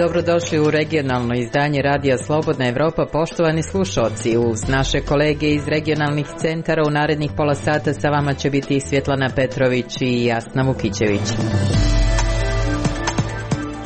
Dobrodošli u regionalno izdanje Radija Slobodna Evropa, poštovani slušalci. Uz naše kolege iz regionalnih centara u narednih pola sata sa vama će biti Svjetlana Petrović i Jasna Vukićević.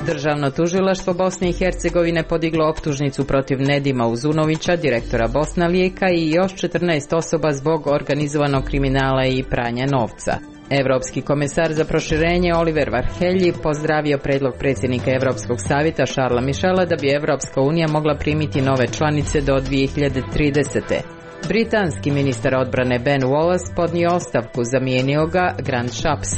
Državno tužilaštvo Bosne i Hercegovine podiglo optužnicu protiv Nedima Uzunovića, direktora Bosna-Lijeka, i još 14 osoba zbog organizovanog kriminala i pranja novca. Europski komesar za proširenje Oliver Varhelyi pozdravio predlog predsjednika Europskog savjeta Charlesa Michela da bi Europska unija mogla primiti nove članice do 2030. Britanski ministar odbrane Ben Wallace podnio ostavku, zamijenio ga Grant Shapps.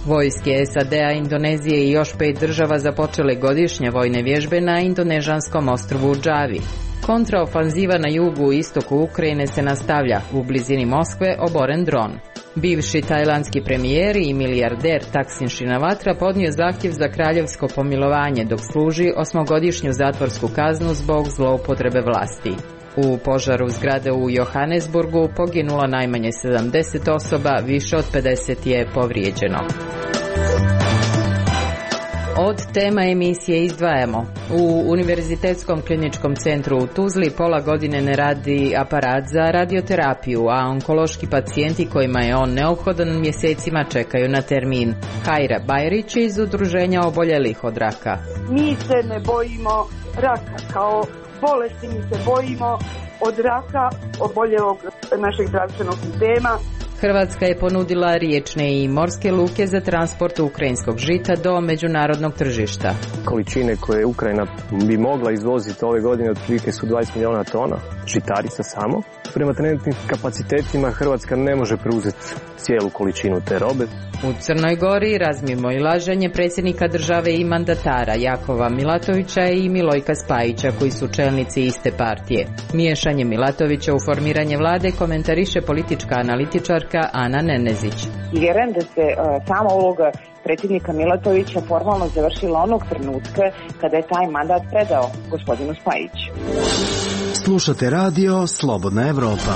Vojske SAD-a, Indonezije i još 5 država započele godišnje vojne vježbe na indonežanskom ostrvu Džavi. Kontraofanziva na jugu i istoku Ukrajine se nastavlja. U blizini Moskve oboren dron. Bivši tajlandski premijer i milijarder Thaksin Shinawatra podnio zahtjev za kraljevsko pomilovanje dok služi 8-godišnju zatvorsku kaznu zbog zloupotrebe vlasti. U požaru zgrade u Johannesburgu poginulo najmanje 70 osoba, više od 50 je povrijeđeno. Od tema emisije izdvajamo. U Univerzitetskom kliničkom centru u Tuzli pola godine ne radi aparat za radioterapiju, a onkološki pacijenti kojima je on neophodan mjesecima čekaju na termin. Kajra Bajrić iz Udruženja oboljelih od raka. Mi se ne bojimo raka kao bolesti, mi se bojimo od raka oboljelog našeg zdravstvenog sistema. Hrvatska je ponudila riječne i morske luke za transport ukrajinskog žita do međunarodnog tržišta. Količine koje Ukrajina bi mogla izvoziti ove godine otprilike su 20 milijuna tona žitarica samo. Prema trenutnim kapacitetima Hrvatska ne može preuzeti cijelu količinu te robe. U Crnoj Gori razmimo i laženje predsjednika države i mandatara Jakova Milatovića i Milojka Spajića, koji su čelnici iste partije. Miješanje Milatovića u formiranje vlade komentariše politička analitičarka Ana Nenezić. Vjerujem da se sama uloga predsjednika Milatovića formalno završila onog trenutka kada je taj mandat predao gospodinu Spajiću. Slušate radio Slobodna Evropa.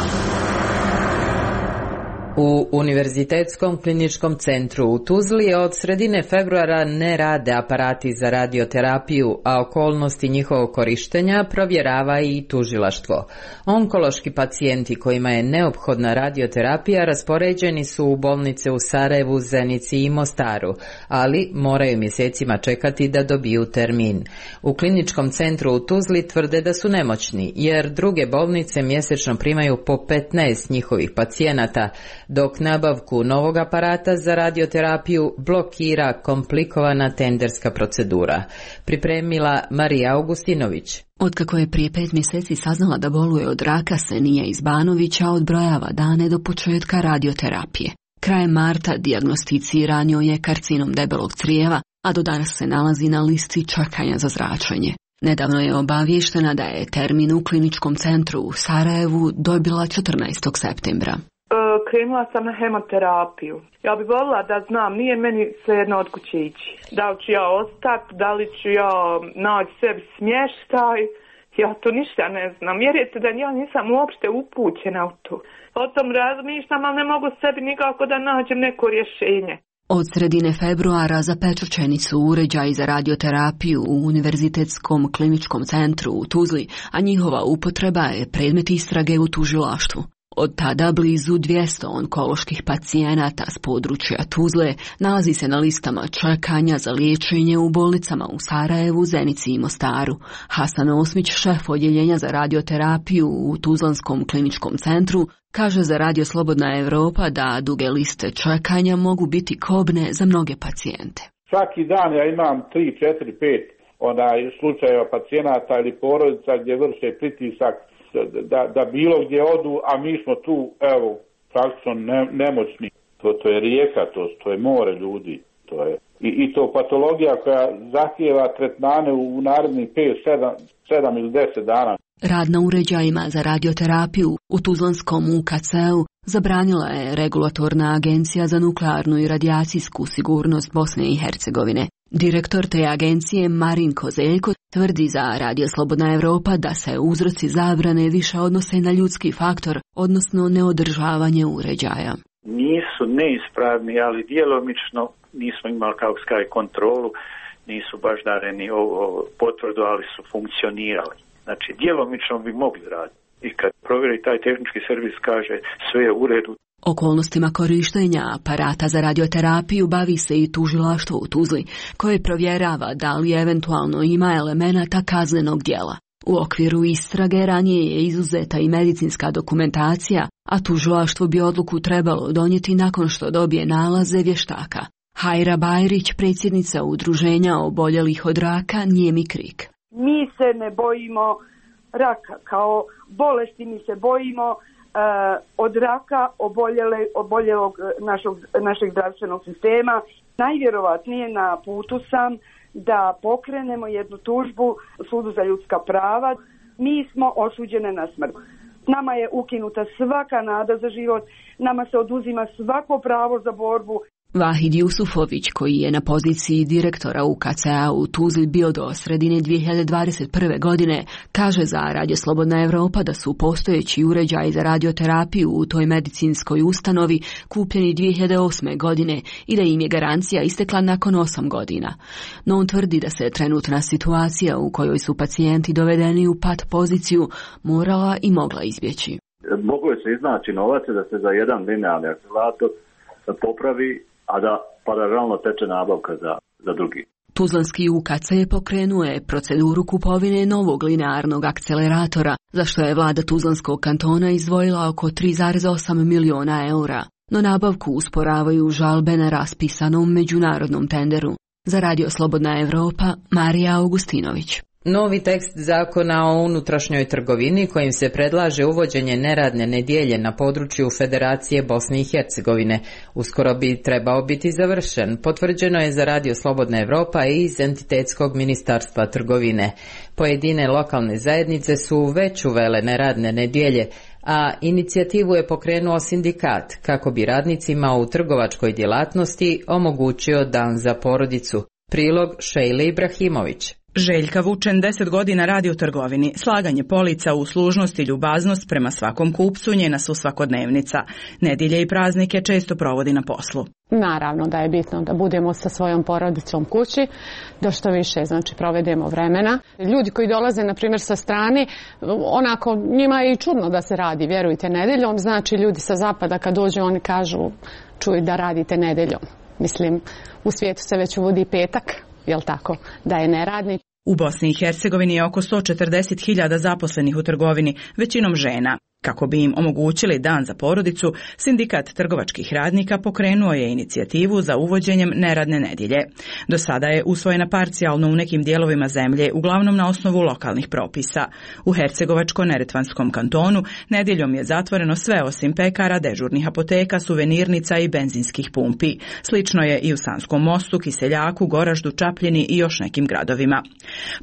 U Univerzitetskom kliničkom centru u Tuzli od sredine februara ne rade aparati za radioterapiju, a okolnosti njihovog korištenja provjerava i tužilaštvo. Onkološki pacijenti kojima je neophodna radioterapija raspoređeni su u bolnice u Sarajevu, Zenici i Mostaru, ali moraju mjesecima čekati da dobiju termin. U kliničkom centru u Tuzli tvrde da su nemoćni, jer druge bolnice mjesečno primaju po 15 njihovih pacijenata, dok nabavku novog aparata za radioterapiju blokira komplikovana tenderska procedura. Pripremila Marija Augustinović. Otkako je prije 5 mjeseci saznala da boluje od raka, Senija iz Banovića odbrojava dane do početka radioterapije. Krajem marta dijagnosticiran joj je karcinom debelog crijeva, a do danas se nalazi na listi čekanja za zračenje. Nedavno je obavještena da je termin u kliničkom centru u Sarajevu dobila 14. septembra. Krenula sam na hemoterapiju. Ja bih volila da znam, nije meni svejedno od kuće ići. Da li ću ja ostati, da li ću ja naći sebi smještaj, ja to ništa ne znam. Vjerujete da ja nisam uopšte upućena u to. O tom razmišljam, ali ne mogu sebi nikako da nađem neko rješenje. Od sredine februara zapečaćeni su uređaji za radioterapiju u Univerzitetskom kliničkom centru u Tuzli, a njihova upotreba je predmet istrage u tužilaštvu. Od tada blizu 200 onkoloških pacijenata s područja Tuzle nalazi se na listama čekanja za liječenje u bolnicama u Sarajevu, Zenici i Mostaru. Hasan Osmić, šef odjeljenja za radioterapiju u Tuzlanskom kliničkom centru, kaže za Radio Slobodna Evropa da duge liste čekanja mogu biti kobne za mnoge pacijente. Svaki dan ja imam 3, 4, 5 slučajeva pacijenata ili porodica gdje vrše pritisak da bilo gdje odu, a mi smo tu, evo, praktično nemoćni. To je rijeka, to je more ljudi. To je. I to patologija koja zahtijeva tretmane u narednih 5, 7 ili 10 dana. Rad na uređajima za radioterapiju u Tuzlanskom UKC-u zabranila je Regulatorna agencija za nuklearnu i radijacijsku sigurnost Bosne i Hercegovine. Direktor te agencije Marin Kozeljko tvrdi za Radio Slobodna Evropa da se uzroci zabrane više odnose na ljudski faktor, odnosno neodržavanje uređaja. Nisu neispravni, ali djelomično nismo imali kao kontrolu nisu baš dareni potvrdu, ali su funkcionirali. Znači, djelomično bi mogli raditi. I kad provjeri taj tehnički servis kaže sve je u redu. Okolnostima korištenja aparata za radioterapiju bavi se i tužilaštvo u Tuzli, koje provjerava da li eventualno ima elemenata kaznenog djela. U okviru istrage ranije je izuzeta i medicinska dokumentacija, a tužilaštvo bi odluku trebalo donijeti nakon što dobije nalaze vještaka. Hajra Bajrić, predsjednica udruženja oboljelih od raka Nijemi krik. Mi se ne bojimo raka kao bolesti, mi se bojimo od raka oboljelog našeg zdravstvenog sistema. Najvjerovatnije na putu sam da pokrenemo jednu tužbu Sudu za ljudska prava. Mi smo osuđene na smrt. Nama je ukinuta svaka nada za život, nama se oduzima svako pravo za borbu. Vahid Jusufović, koji je na poziciji direktora UKC-a u Tuzli bio do sredine 2021. godine, kaže za Radio Slobodna Evropa da su postojeći uređaji za radioterapiju u toj medicinskoj ustanovi kupljeni 2008. godine i da im je garancija istekla nakon 8 godina. No on tvrdi da se trenutna situacija u kojoj su pacijenti dovedeni u pat poziciju morala i mogla izbjeći. Moglo je se iznaći novac da se za jedan linearni akcelerator popravi, a da paralelno teče nabavka za drugi. Tuzlanski UKC pokrenuo je proceduru kupovine novog linearnog akceleratora, za što je vlada Tuzlanskog kantona izdvojila oko 3,8 miliona eura. No nabavku usporavaju žalbe na raspisanom međunarodnom tenderu. Za Radio Slobodna Evropa, Marija Augustinović. Novi tekst zakona o unutrašnjoj trgovini kojim se predlaže uvođenje neradne nedjelje na području Federacije Bosne i Hercegovine uskoro bi trebao biti završen, potvrđeno je za Radio Slobodna Evropa i iz Entitetskog ministarstva trgovine. Pojedine lokalne zajednice su već uvele neradne nedjelje, a inicijativu je pokrenuo sindikat kako bi radnicima u trgovačkoj djelatnosti omogućio dan za porodicu. Prilog Šejle Ibrahimović. Željka Vučen 10 godina radi u trgovini. Slaganje polica, uslužnost i ljubaznost prema svakom kupcu njena su svakodnevnica. Nedjelje i praznike često provodi na poslu. Naravno da je bitno da budemo sa svojom porodicom kući, da što više provedemo vremena. Ljudi koji dolaze na primjer sa strane, onako njima je i čudno da se radi, vjerujte, nedjeljom. Znači ljudi sa zapada kad dođu oni kažu čuj da radite nedjeljom. Mislim, u svijetu se već uvodi petak. Jel tako, da je neradnik. U Bosni i Hercegovini je oko 140.000 zaposlenih u trgovini, većinom žena. Kako bi im omogućili dan za porodicu, sindikat trgovačkih radnika pokrenuo je inicijativu za uvođenjem neradne nedjelje. Do sada je usvojena parcijalno u nekim dijelovima zemlje, uglavnom na osnovu lokalnih propisa. U Hercegovačko-Neretvanskom kantonu nedjeljom je zatvoreno sve osim pekara, dežurnih apoteka, suvenirnica i benzinskih pumpi. Slično je i u Sanskom Mostu, Kiseljaku, Goraždu, Čapljini i još nekim gradovima.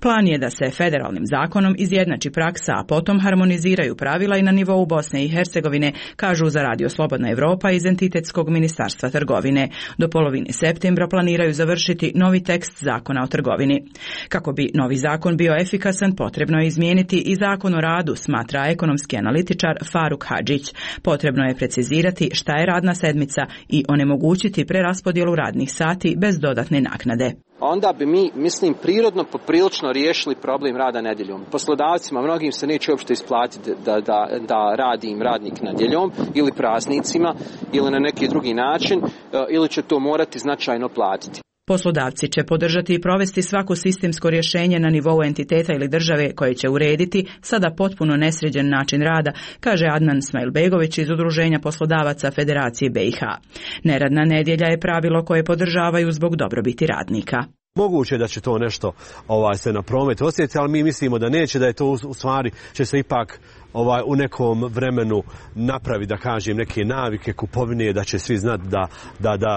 Plan je da se federalnim zakonom izjednači praksa, a potom harmoniziraju pravila i na nivou Bosne i Hercegovine, kažu za Radio Slobodna Evropa iz Entitetskog ministarstva trgovine. Do polovine septembra planiraju završiti novi tekst zakona o trgovini. Kako bi novi zakon bio efikasan, potrebno je izmijeniti i zakon o radu, smatra ekonomski analitičar Faruk Hadžić. Potrebno je precizirati šta je radna sedmica i onemogućiti preraspodjelu radnih sati bez dodatne naknade. Onda bi mi, mislim, prirodno poprilično riješili problem rada nedjeljom. Poslodavcima, mnogim se neće uopšte isplatiti da radi im radnik nedjeljom ili praznicima ili na neki drugi način, ili će to morati značajno platiti. Poslodavci će podržati i provesti svako sistemsko rješenje na nivou entiteta ili države koje će urediti sada potpuno nesređen način rada, kaže Adnan Smajlbegović iz Udruženja poslodavaca Federacije BiH. Neradna nedjelja je pravilo koje podržavaju zbog dobrobiti radnika. Moguće da će to nešto se na promet osjetiti, ali mi mislimo da neće, da je to u stvari će se ipak u nekom vremenu napravi, da kažem, neke navike kupovine, da će svi znati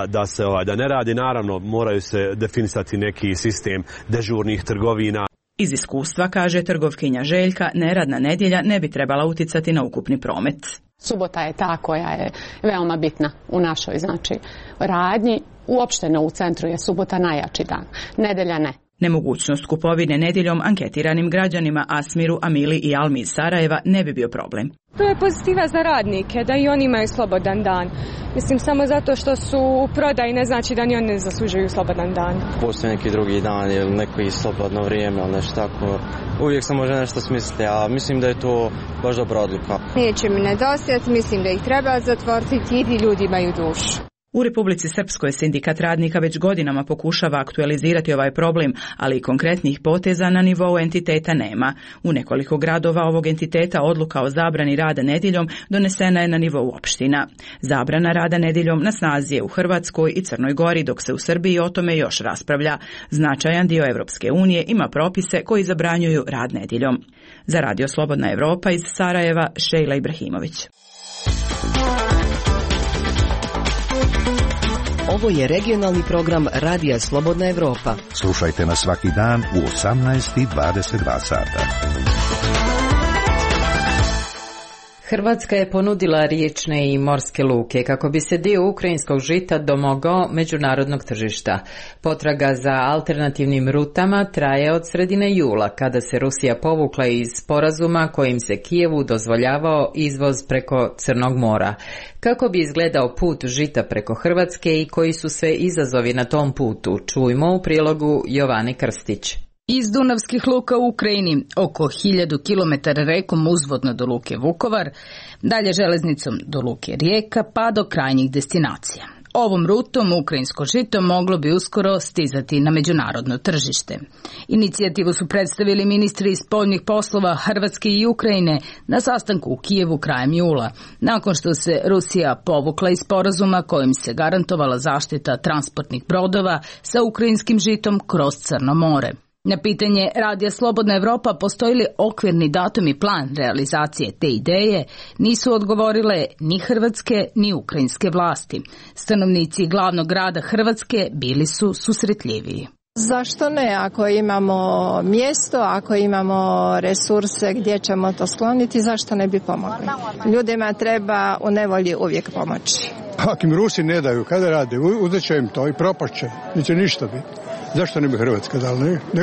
da se da ne radi. Naravno, moraju se definisati neki sistem dežurnih trgovina. Iz iskustva, kaže trgovkinja Željka, neradna nedjelja ne bi trebala uticati na ukupni promet. Subota je ta koja je veoma bitna u našoj radnji. Uopšteno u centru je subota najjači dan, nedjelja ne. Nemogućnost kupovine nedjeljom anketiranim građanima Asmiru, Amili i Almi iz Sarajeva ne bi bio problem. To je pozitiva za radnike, da i oni imaju slobodan dan. Mislim, samo zato što su u prodaji ne znači da ni oni ne zaslužuju slobodan dan. Postoji neki drugi dan ili neko i slobodno vrijeme ili nešto tako. Uvijek se može nešto smisliti, a mislim da je to baš dobra odluka. Neće mi nedostajati, mislim da ih treba zatvoriti i ti ljudi imaju dušu. U Republici Srpskoj sindikat radnika već godinama pokušava aktualizirati ovaj problem, ali konkretnih poteza na nivou entiteta nema. U nekoliko gradova ovog entiteta odluka o zabrani rada nedjeljom donesena je na nivou opština. Zabrana rada nedjeljom na snazi je u Hrvatskoj i Crnoj Gori, dok se u Srbiji o tome još raspravlja. Značajan dio Europske unije ima propise koji zabranjuju rad nedjeljom. Za Radio Slobodna Evropa iz Sarajeva, Šejla Ibrahimović. Ovo je regionalni program Radija Slobodna Evropa. Slušajte nas svaki dan u 18:22 sata. Hrvatska je ponudila riječne i morske luke kako bi se dio ukrajinskog žita domogao međunarodnog tržišta. Potraga za alternativnim rutama traje od sredine jula, kada se Rusija povukla iz sporazuma kojim se Kijevu dozvoljavao izvoz preko Crnog mora. Kako bi izgledao put žita preko Hrvatske i koji su sve izazovi na tom putu, čujmo u prilogu Jovane Krstić. Iz Dunavskih luka u Ukrajini, oko 1000 km rekom uzvodno do luke Vukovar, dalje železnicom do luke Rijeka pa do krajnjih destinacija. Ovom rutom ukrajinsko žito moglo bi uskoro stizati na međunarodno tržište. Inicijativu su predstavili ministri spoljnih poslova Hrvatske i Ukrajine na sastanku u Kijevu krajem jula, nakon što se Rusija povukla iz sporazuma kojim se garantovala zaštita transportnih brodova sa ukrajinskim žitom kroz Crno more. Na pitanje Radija Slobodna Evropa postoji li okvirni datum i plan realizacije te ideje, nisu odgovorile ni hrvatske ni ukrajinske vlasti. Stanovnici glavnog grada Hrvatske bili su susretljiviji. Zašto ne? Ako imamo mjesto, ako imamo resurse gdje ćemo to skloniti, zašto ne bi pomogli? Ljudima treba u nevolji uvijek pomoći. Ako im Rusi ne daju, kada rade, uzet će im to i propašće, neće ništa biti. Zašto ne bi Hrvatska dala?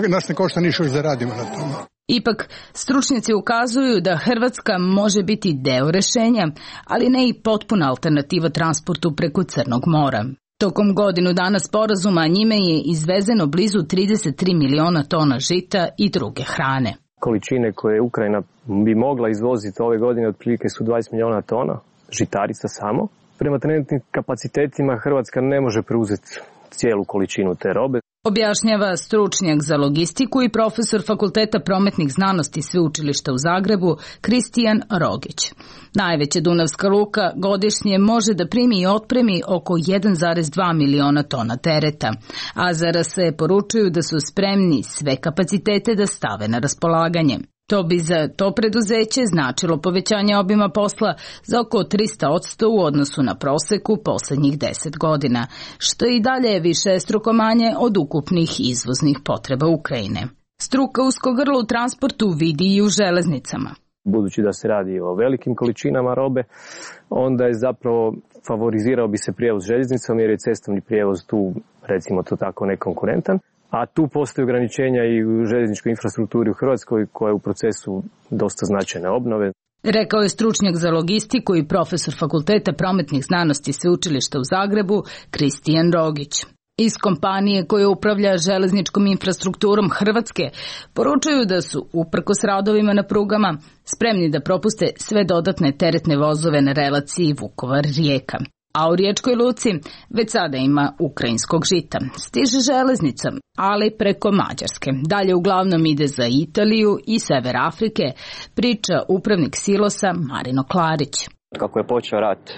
Nas ne košta ništa, zaradimo na tome. Ipak, stručnjaci ukazuju da Hrvatska može biti deo rješenja, ali ne i potpuna alternativa transportu preko Crnog mora. Tokom godinu dana sporazuma njime je izvezeno blizu 33 miliona tona žita i druge hrane. Količine koje Ukrajina bi mogla izvoziti ove godine otprilike su 20 miliona tona žitarica samo. Prema trenutnim kapacitetima Hrvatska ne može preuzeti cijelu količinu te robe. Objašnjava stručnjak za logistiku i profesor Fakulteta prometnih znanosti Sveučilišta u Zagrebu Kristijan Rogić. Najveća dunavska luka godišnje može da primi i otpremi oko 1,2 miliona tona tereta, a se poručuju da su spremni sve kapacitete da stave na raspolaganje. To bi za to preduzeće značilo povećanje obima posla za oko 300% u odnosu na proseku posljednjih 10 godina, što i dalje je višestruko manje od ukupnih izvoznih potreba Ukrajine. Struka usko grlo u transportu vidi i u železnicama. Budući da se radi o velikim količinama robe, onda je zapravo favorizirao bi se prijevoz željeznicom jer je cestovni prijevoz tu, recimo to tako, nekonkurentan. A tu postoje ograničenja i u željezničkoj infrastrukturi u Hrvatskoj koja je u procesu dosta značajne obnove. Rekao je stručnjak za logistiku i profesor Fakulteta prometnih znanosti Sveučilišta u Zagrebu Kristijan Rogić. Iz kompanije koja upravlja železničkom infrastrukturom Hrvatske poručuju da su, uprkos radovima na prugama, spremni da propuste sve dodatne teretne vozove na relaciji Vukovar-Rijeka. A u Riječkoj luci već sada ima ukrajinskog žita. Stiže železnica, ali preko Mađarske. Dalje uglavnom ide za Italiju i Sever Afrike, priča upravnik silosa Marino Klarić. Kako je počeo rat,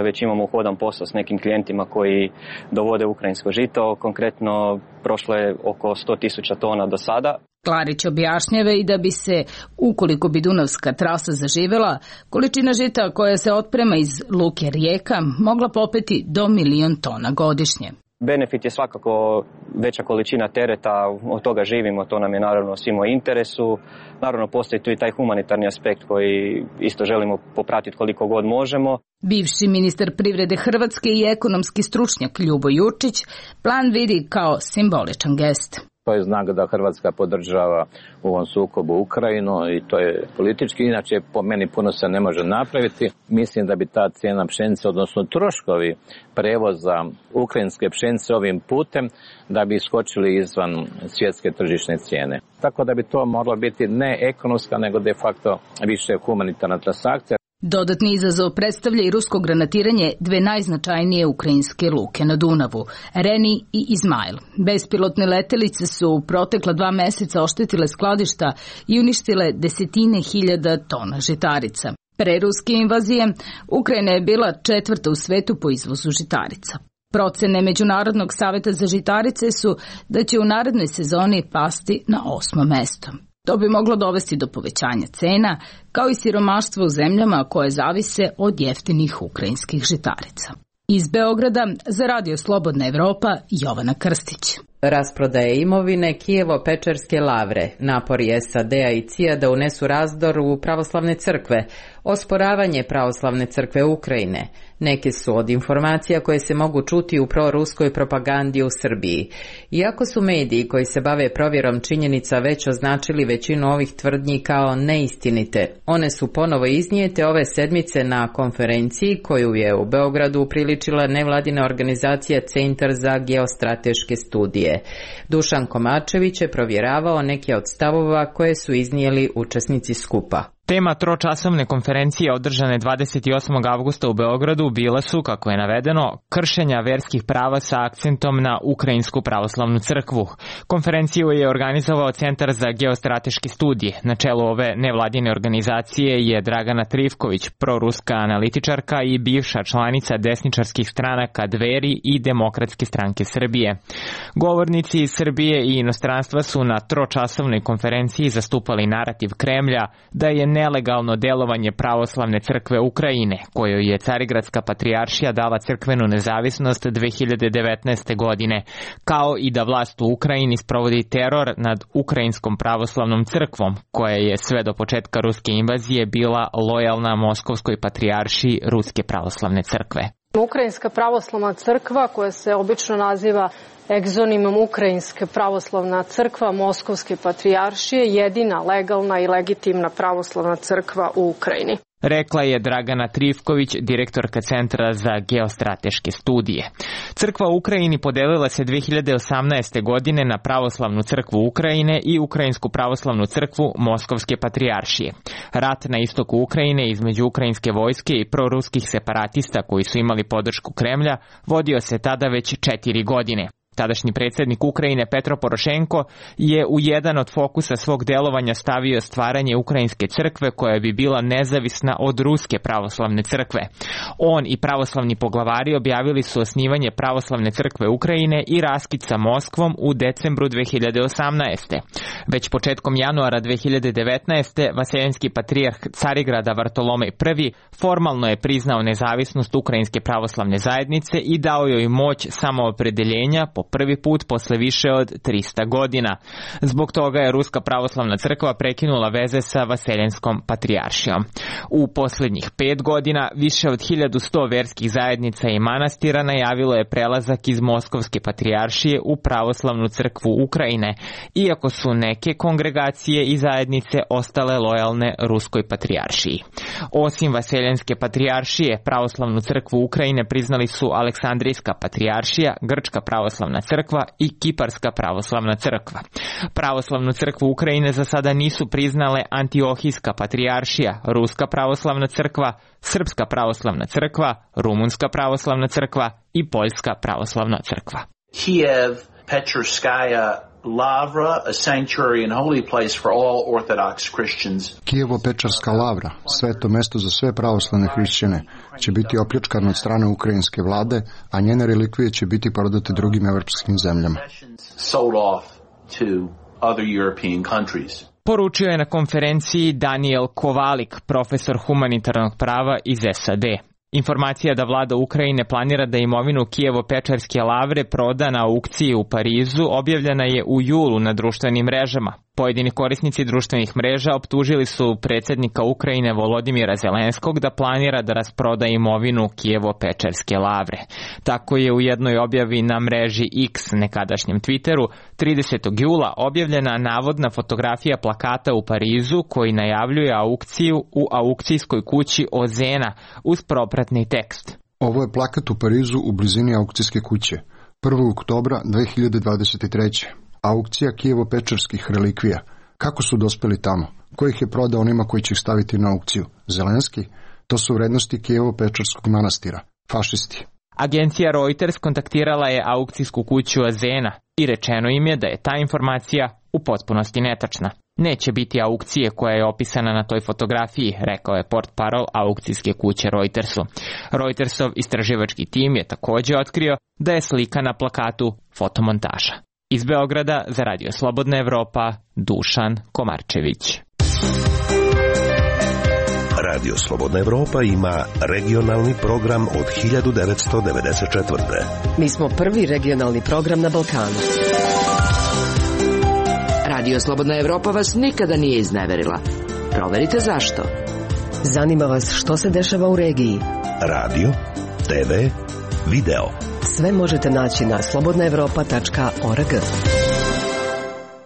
već imamo uhodan posao s nekim klijentima koji dovode ukrajinsko žito. Konkretno, prošlo je oko 100.000 tona do sada. Klarić objašnjava i da bi se, ukoliko bi Dunavska trasa zaživjela, količina žita koja se otprema iz luke Rijeka mogla popeti do 1.000.000 tona godišnje. Benefit je svakako veća količina tereta, od toga živimo, to nam je naravno svima u interesu. Naravno postoji tu i taj humanitarni aspekt koji isto želimo popratiti koliko god možemo. Bivši ministar privrede Hrvatske i ekonomski stručnjak Ljubo Jurčić plan vidi kao simboličan gest. To je znak da Hrvatska podržava u ovom sukobu Ukrajinu i to je politički. Inače, po meni puno se ne može napraviti. Mislim da bi ta cijena pšenice, odnosno troškovi prevoza ukrajinske pšenice ovim putem, da bi iskočili izvan svjetske tržišne cijene. Tako da bi to moglo biti ne ekonomska, nego de facto više humanitarna transakcija. Dodatni izazov predstavlja i rusko granatiranje dve najznačajnije ukrajinske luke na Dunavu, Reni i Izmail. Bespilotne letelice su u protekla 2 meseca oštetile skladišta i uništile desetine hiljada tona žitarica. Pre ruske invazije, Ukrajina je bila 4. u svetu po izvozu žitarica. Procene Međunarodnog saveta za žitarice su da će u narednoj sezoni pasti na 8. mesto. To bi moglo dovesti do povećanja cena, kao i siromaštva u zemljama koje zavise od jeftinih ukrajinskih žitarica. Iz Beograda za Radio Slobodna Evropa, Jovana Krstić. Rasprodaje imovine Kijevo-Pečerske lavre, napori SAD-a i CIA da unesu razdor u pravoslavne crkve, osporavanje pravoslavne crkve Ukrajine. Neke su od informacija koje se mogu čuti u proruskoj propagandi u Srbiji. Iako su mediji koji se bave provjerom činjenica već označili većinu ovih tvrdnji kao neistinite, one su ponovo iznijete ove sedmice na konferenciji koju je u Beogradu upriličila nevladina organizacija Centar za geostrateške studije. Dušan Komačević je provjeravao neke od stavova koje su iznijeli učesnici skupa. Tema tročasovne konferencije održane 28. avgusta u Beogradu bila su, kako je navedeno, kršenja verskih prava sa akcentom na Ukrajinsku pravoslavnu crkvu. Konferenciju je organizovao Centar za geostrateške studije. Na čelu ove nevladine organizacije je Dragana Trivković, proruska analitičarka i bivša članica desničarskih stranaka Dveri i Demokratske stranke Srbije. Govornici iz Srbije i inostranstva su na tročasovnoj konferenciji zastupali narativ Kremlja da je nelegalno delovanje pravoslavne crkve Ukrajine, kojoj je Carigradska patrijaršija dala crkvenu nezavisnost 2019. godine, kao i da vlast u Ukrajini sprovodi teror nad Ukrajinskom pravoslavnom crkvom, koja je sve do početka ruske invazije bila lojalna Moskovskoj patrijaršiji Ruske pravoslavne crkve. Ukrajinska pravoslavna crkva, koja se obično naziva egzonimom Ukrajinska pravoslavna crkva Moskovske patrijaršije, jedina legalna i legitimna pravoslavna crkva u Ukrajini. Rekla je Dragana Trivković, direktorka Centra za geostrateške studije. Crkva u Ukrajini podelila se 2018. godine na pravoslavnu crkvu Ukrajine i Ukrajinsku pravoslavnu crkvu Moskovske patrijaršije. Rat na istoku Ukrajine između ukrajinske vojske i proruskih separatista koji su imali podršku Kremlja vodio se tada već 4 godine. Tadašnji predsjednik Ukrajine Petro Porošenko je u jedan od fokusa svog delovanja stavio stvaranje Ukrajinske crkve koja bi bila nezavisna od Ruske pravoslavne crkve. On i pravoslavni poglavari objavili su osnivanje pravoslavne crkve Ukrajine i raskid sa Moskvom u decembru 2018. Već početkom januara 2019. vaseljenski patrijarh Carigrada Vartolomej I formalno je priznao nezavisnost Ukrajinske pravoslavne zajednice i dao joj moć samoopredeljenja po prvi put posle više od 300 godina. Zbog toga je Ruska pravoslavna crkva prekinula veze sa vaseljenskom patrijaršijom. U posljednjih 5 godina više od 1100 verskih zajednica i manastira najavilo je prelazak iz Moskovske patrijaršije u pravoslavnu crkvu Ukrajine, iako su neke kongregacije i zajednice ostale lojalne Ruskoj patrijaršiji. Osim vaseljenske patrijaršije, pravoslavnu crkvu Ukrajine priznali su Aleksandrijska patrijaršija, Grčka pravoslavna crkva i Kiparska pravoslavna crkva. Pravoslavnu crkvu Ukrajine za sada nisu priznale Antiohijska patrijaršija, Ruska pravoslavna crkva, Srpska pravoslavna crkva, Rumunska pravoslavna crkva i Poljska pravoslavna crkva. Kijevo-Pečerskaya Lavra, a sanctuary and holy place for all Orthodox Christians. Kijevo-Pečerska lavra, sveto mesto za sve pravoslavne hrišćane, će biti opljačkano od strane ukrajinske vlade, a njene relikvije će biti prodate drugim evropskim zemljama. Sold off to other European countries. Poručio je na konferenciji Daniel Kovalik, profesor humanitarnog prava iz SAD. Informacija da vlada Ukrajine planira da imovinu Kijevo-Pečerske lavre proda na aukciji u Parizu objavljena je u julu na društvenim mrežama. Pojedini korisnici društvenih mreža optužili su predsjednika Ukrajine Volodimira Zelenskog da planira da rasproda imovinu Kijevo-Pečerske lavre. Tako je u jednoj objavi na mreži X, nekadašnjem Twitteru, 30. jula objavljena navodna fotografija plakata u Parizu koji najavljuje aukciju u aukcijskoj kući Ozena uz propratni tekst. Ovo je plakat u Parizu u blizini aukcijske kuće. 1. oktobra 2023. Aukcija Kijevo-Pečerskih relikvija. Kako su dospeli tamo? Ko ih je prodao onima koji će ih staviti na aukciju? Zelenski? To su vrednosti Kijevo-Pečerskog manastira. Fašisti. Agencija Reuters kontaktirala je aukcijsku kuću Ozena i rečeno im je da je ta informacija u potpunosti netačna. Neće biti aukcije koja je opisana na toj fotografiji, rekao je portparol aukcijske kuće Reutersu. Reutersov istraživački tim je također otkrio da je slika na plakatu fotomontaža. Iz Beograda za Radio Slobodna Evropa, Dušan Komarčević. Radio Slobodna Evropa ima regionalni program od 1994. Mi smo prvi regionalni program na Balkanu. Radio Slobodna Evropa vas nikada nije izneverila. Proverite zašto. Zanima vas što se dešava u regiji. Radio, TV, video. Sve možete naći na slobodnaevropa.org.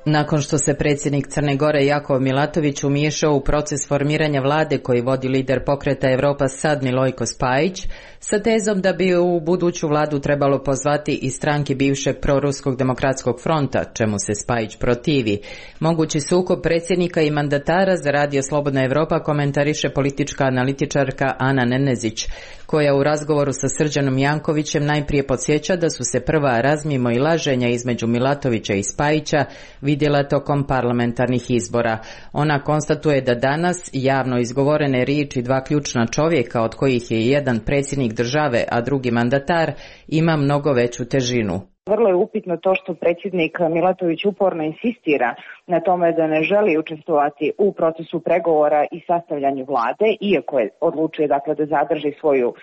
Nakon što se predsjednik Crne Gore Jakov Milatović umiješao u proces formiranja vlade koji vodi lider pokreta Evropa Sad Milojko Spajić, sa tezom da bi u buduću vladu trebalo pozvati i stranke bivšeg proruskog demokratskog fronta, čemu se Spajić protivi. Mogući sukob predsjednika i mandatara za Radio Slobodna Evropa komentariše politička analitičarka Ana Nenezić, koja u razgovoru sa Srđanom Jankovićem najprije podsjeća da su se prva razmimo i laženja između Milatovića i Spajića vidjela tokom parlamentarnih izbora. Ona konstatuje da danas javno izgovorene riječi dva ključna čovjeka, od kojih je jedan predsjednik države, a drugi mandatar, ima mnogo veću težinu. Vrlo je upitno to što predsjednik Milatović uporno insistira na tome da ne želi učestvovati u procesu pregovora i sastavljanju vlade, iako je odlučio dakle da zadrži svoju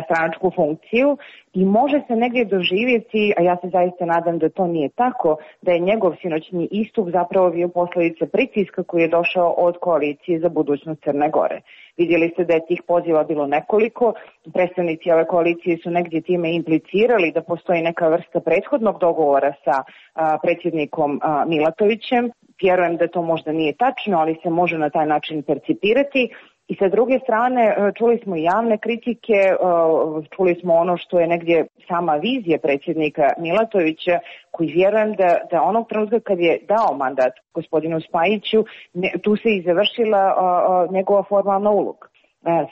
stranačku funkciju, i može se negdje doživjeti, a ja se zaista nadam da to nije tako, da je njegov sinoćni istup zapravo bio posljedica pritiska koji je došao od koalicije za budućnost Crne Gore. Vidjeli ste da je tih poziva bilo nekoliko, predstavnici ove koalicije su negdje time implicirali da postoji neka vrsta prethodnog dogovora sa predsjednikom Milatovićem. Vjerujem da to možda nije tačno, ali se može na taj način percipirati. I sa druge strane, čuli smo javne kritike, čuli smo ono što je negdje sama vizija predsjednika Milatovića, koji vjerujem da onog trenutka kad je dao mandat gospodinu Spajiću, tu se i završila njegova formalna uloga.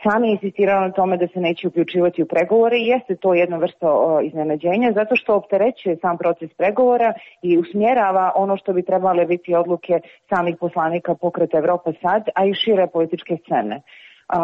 Sam je insistirao na tome da se neće uključivati u pregovore i jeste to jedna vrsta iznenađenja zato što opterećuje sam proces pregovora i usmjerava ono što bi trebale biti odluke samih poslanika pokreta Evropa Sad, a i šire političke scene.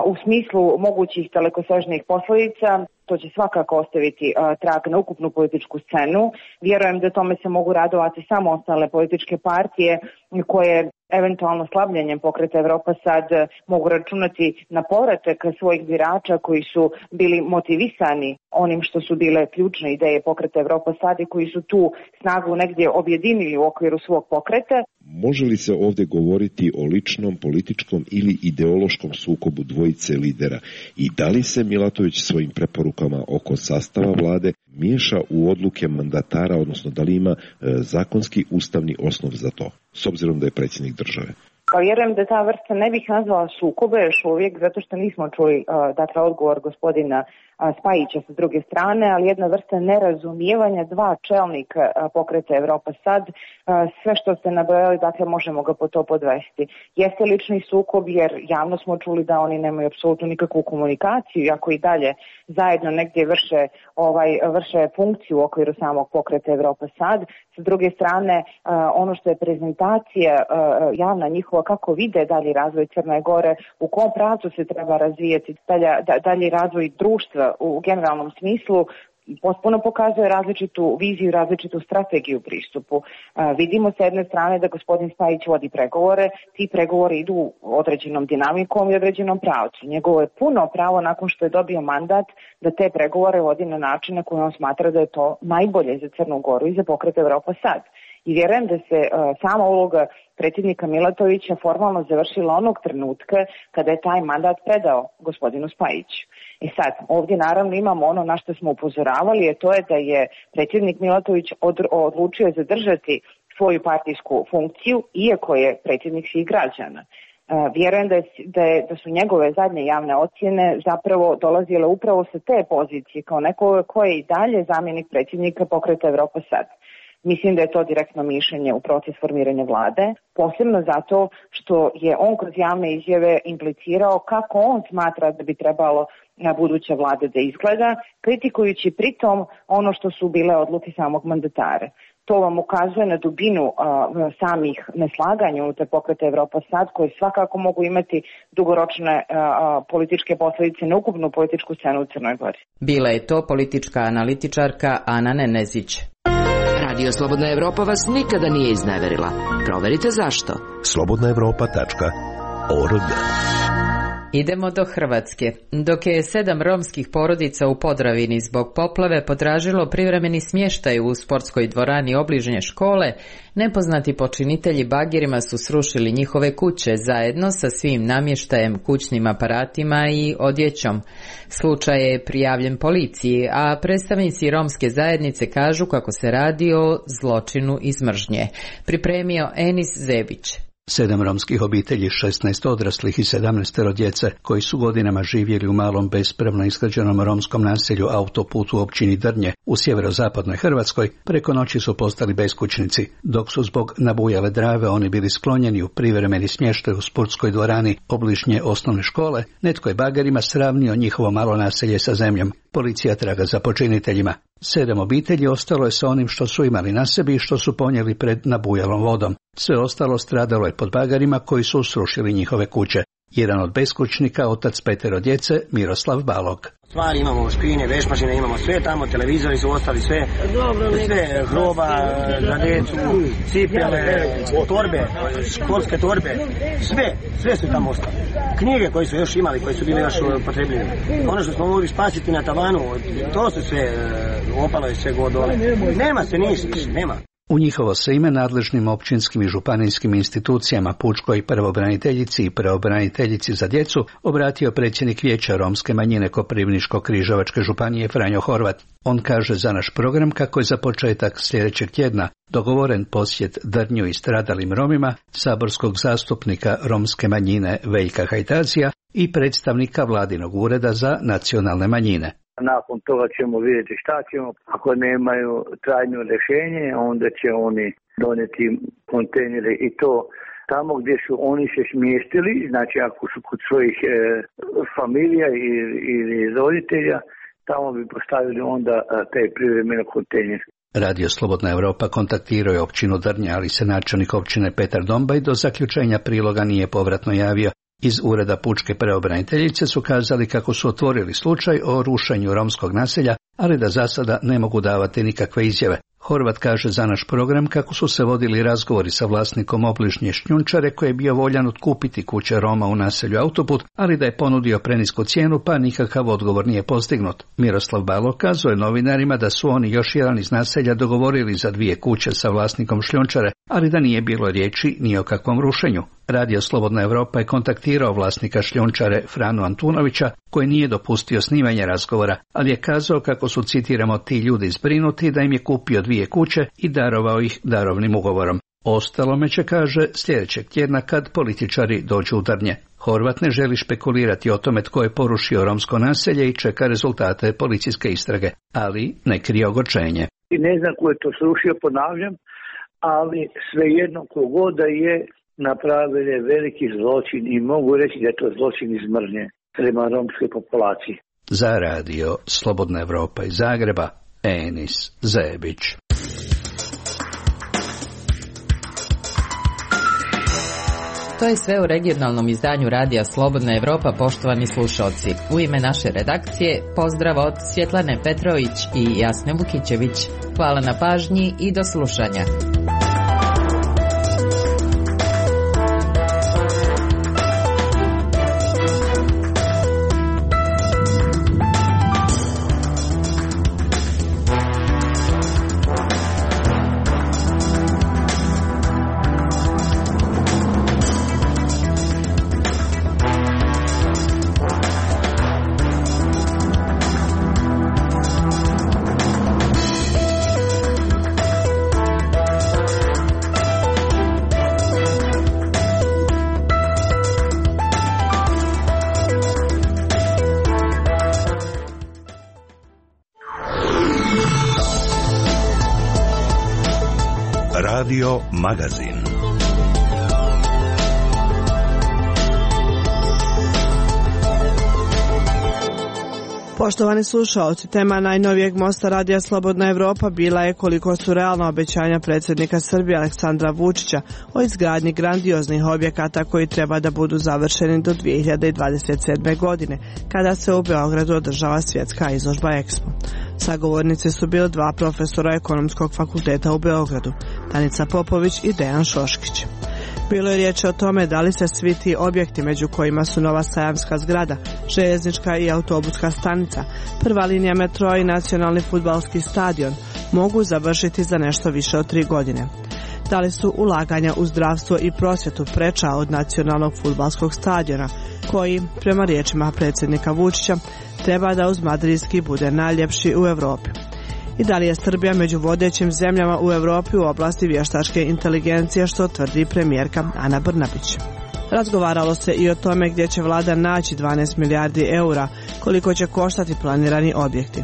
U smislu mogućih dalekosežnih posljedica, to će svakako ostaviti trag na ukupnu političku scenu. Vjerujem da tome se mogu radovati samo ostale političke partije koje eventualno slabljenjem pokreta Evropa Sad mogu računati na povratak svojih birača koji su bili motivisani onim što su bile ključne ideje pokreta Evropa Sad i koji su tu snagu negdje objedinili u okviru svog pokreta. Može li se ovdje govoriti o ličnom, političkom ili ideološkom sukobu dvojice lidera i da li se Milatović svojim preporukama oko sastava vlade miješa u odluke mandatara, odnosno da li ima zakonski ustavni osnov za to, s obzirom da je predsjednik države? Pa vjerujem da ta vrsta ne bih nazvala sukobe još uvijek, zato što nismo čuli dakle odgovor gospodina Spajića sa druge strane, ali jedna vrsta nerazumijevanja dva čelnika pokreta Evropa Sad, sve što ste nabrojali, dakle možemo ga po to podvesti. Jeste lični sukob jer javno smo čuli da oni nemaju apsolutno nikakvu komunikaciju, iako i dalje zajedno negdje vrše funkciju u okviru samog pokreta Evropa Sad. Sa druge strane, ono što je prezentacija javna njihova, kako vide dalji razvoj Crne Gore, u kom pravcu se treba razvijati dalji razvoj društva u generalnom smislu, potpuno pokazuje različitu viziju, različitu strategiju pristupu. Vidimo s jedne strane da gospodin Spajić vodi pregovore, ti pregovori idu određenom dinamikom i određenom pravcu. Njegovo je puno pravo nakon što je dobio mandat da te pregovore vodi na način na koji on smatra da je to najbolje za Crnu Goru i za pokret Evropa Sad. I vjerujem da se sama uloga predsjednika Milatovića formalno završila onog trenutka kada je taj mandat predao gospodinu Spajiću. I sad, ovdje naravno imamo ono na što smo upozoravali, a to je da je predsjednik Milatović odlučio zadržati svoju partijsku funkciju, iako je predsjednik svih građana. Vjerujem da su njegove zadnje javne ocjene zapravo dolazile upravo sa te pozicije, kao neko ko je i dalje zamjenik predsjednika Pokreta Evropa sad. Mislim da je to direktno mišljenje u proces formiranja vlade, posebno zato što je on kroz javne izjave implicirao kako on smatra da bi trebalo na buduća vlada da izgleda, kritikujući pritom ono što su bile odluke samog mandatara. To vam ukazuje na dubinu samih neslaganja unutar Pokreta Evropa sad, koje svakako mogu imati dugoročne političke posljedice na ukupnu političku scenu u Crnoj Gori. Bila je to politička analitičarka Ana Nenezić. Radio Slobodna Evropa vas nikada nije izneverila. Proverite zašto. slobodnaevropa.org. Idemo do Hrvatske. Dok je 7 romskih porodica u Podravini zbog poplave potražilo privremeni smještaj u sportskoj dvorani obližnje škole, nepoznati počinitelji bagirima su srušili njihove kuće zajedno sa svim namještajem, kućnim aparatima i odjećom. Slučaj je prijavljen policiji, a predstavnici romske zajednice kažu kako se radi o zločinu iz mržnje. Pripremio Enis Zebić. 7 romskih obitelji, 16 odraslih i 17 djece koji su godinama živjeli u malom bespravno izgrađenom romskom naselju Autoput u općini Drnje u sjeverozapadnoj Hrvatskoj preko noći su postali beskućnici, dok su zbog nabujale Drave oni bili sklonjeni u privremeni smještaj u sportskoj dvorani obližnje osnovne škole. Netko je bagerima sravnio njihovo malo naselje sa zemljom. Policija traga za počiniteljima. 7 obitelji ostalo je sa onim što su imali na sebi i što su ponijeli pred nabujalom vodom. Sve ostalo stradalo je pod bagerima koji su srušili njihove kuće. Jedan od beskućnika, otac 5 djece, Miroslav Balog. Stvari imamo, škrinje, vešmašine, imamo sve tamo, televizori su ostali, sve hroba za djecu, cipele, torbe, školske torbe, sve su tamo ostali. Knjige koje su još imali, koje su bile još potrebljive. Ono što smo mogli spasiti na tavanu, to su sve, opalo je sve god dole. Nema se ništa, nema. U njihovo se ime nadležnim općinskim i županijskim institucijama, pučkoj pravobraniteljici i pravobraniteljici za djecu, obratio predsjednik Vijeća romske manjine Koprivničko-križevačke županije Franjo Horvat. On kaže za naš program kako je za početak sljedećeg tjedna dogovoren posjet Drnju i stradalim Romima, saborskog zastupnika romske manjine Veljka Hajtazija i predstavnika vladinog ureda za nacionalne manjine. Nakon toga ćemo vidjeti šta ćemo. Ako nemaju trajno rješenje, onda će oni donijeti kontejnere i to tamo gdje su oni se smjestili, znači ako su kod svojih familija ili roditelja, tamo bi postavili onda taj privremeni kontejner. Radio Slobodna Evropa kontaktirao je općinu Drnja, ali se načelnik općine Petar Dombaj do zaključenja priloga nije povratno javio. Iz ureda pučke pravobraniteljice su kazali kako su otvorili slučaj o rušenju romskog naselja, ali da za sada ne mogu davati nikakve izjave. Horvat kaže za naš program kako su se vodili razgovori sa vlasnikom obližnje šljunčare koji je bio voljan otkupiti kuće Roma u naselju Autoput, ali da je ponudio prenisku cijenu pa nikakav odgovor nije postignut. Miroslav Balog kazuje novinarima da su oni još jedan iz naselja dogovorili za 2 kuće sa vlasnikom šljunčare, ali da nije bilo riječi ni o kakvom rušenju. Radio Slobodna Evropa je kontaktirao vlasnika šljunčare Franu Antunovića, koji nije dopustio snimanje razgovora, ali je kazao kako su, citiramo, ti ljudi zbrinuti da im je kupio 2 kuće i darovao ih darovnim ugovorom. Ostalome će, kaže, sljedećeg tjedna kad političari dođu u Drnje. Horvat ne želi špekulirati o tome tko je porušio romsko naselje i čeka rezultate policijske istrage, ali ne krije ogorčenje. Ne znam ko je to srušio, ponavljam, ali svejedno kogoda je napravili veliki zločin i mogu reći da je to zločin iz mržnje prema romskoj populaciji. Za radio Slobodna Evropa iz Zagreba, Enis Zebić. To je sve u regionalnom izdanju radija Slobodna Evropa, poštovani slušalci. U ime naše redakcije, pozdrav od Svjetlane Petrović i Jasne Vukićević. Hvala na pažnji i do slušanja. Radio Magazin. Poštovani slušaoci, tema najnovijeg mosta Radija Slobodna Evropa bila je koliko su realna obećanja predsjednika Srbije Aleksandra Vučića o izgradnji grandioznih objekata koji treba da budu završeni do 2027. godine, kada se u Beogradu održava svjetska izložba Expo. Sagovornici su bili dva profesora Ekonomskog fakulteta u Beogradu, Danica Popović i Dejan Šoškić. Bilo je riječ o tome da li se svi ti objekti, među kojima su nova sajamska zgrada, željeznička i autobuska stanica, prva linija metroa i nacionalni fudbalski stadion, mogu završiti za nešto više od 3 godine. Da li su ulaganja u zdravstvo i prosvjetu preča od nacionalnog fudbalskog stadiona, koji, prema riječima predsjednika Vučića, treba da uz madridski bude najljepši u Europi. I da li je Srbija među vodećim zemljama u Europi u oblasti vještačke inteligencije, što tvrdi premijerka Ana Brnabić. Razgovaralo se i o tome gdje će vlada naći 12 milijardi eura, koliko će koštati planirani objekti.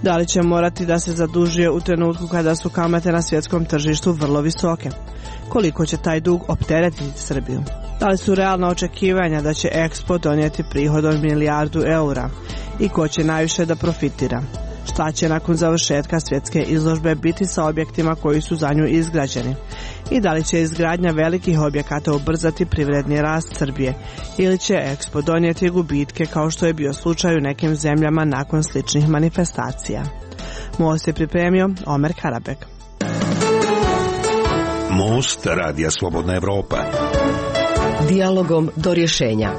Da li će morati da se zadužuje u trenutku kada su kamate na svjetskom tržištu vrlo visoke? Koliko će taj dug opteretiti Srbiju? Da li su realna očekivanja da će Expo donijeti prihod od 1 milijardu eura? I ko će najviše da profitira? Šta će nakon završetka svjetske izložbe biti sa objektima koji su za nju izgrađeni? I da li će izgradnja velikih objekata ubrzati privredni rast Srbije? Ili će Expo donijeti gubitke kao što je bio slučaj u nekim zemljama nakon sličnih manifestacija? Most je pripremio Omer Karabek. Most Radija Slobodna Evropa. Dijalogom do rješenja.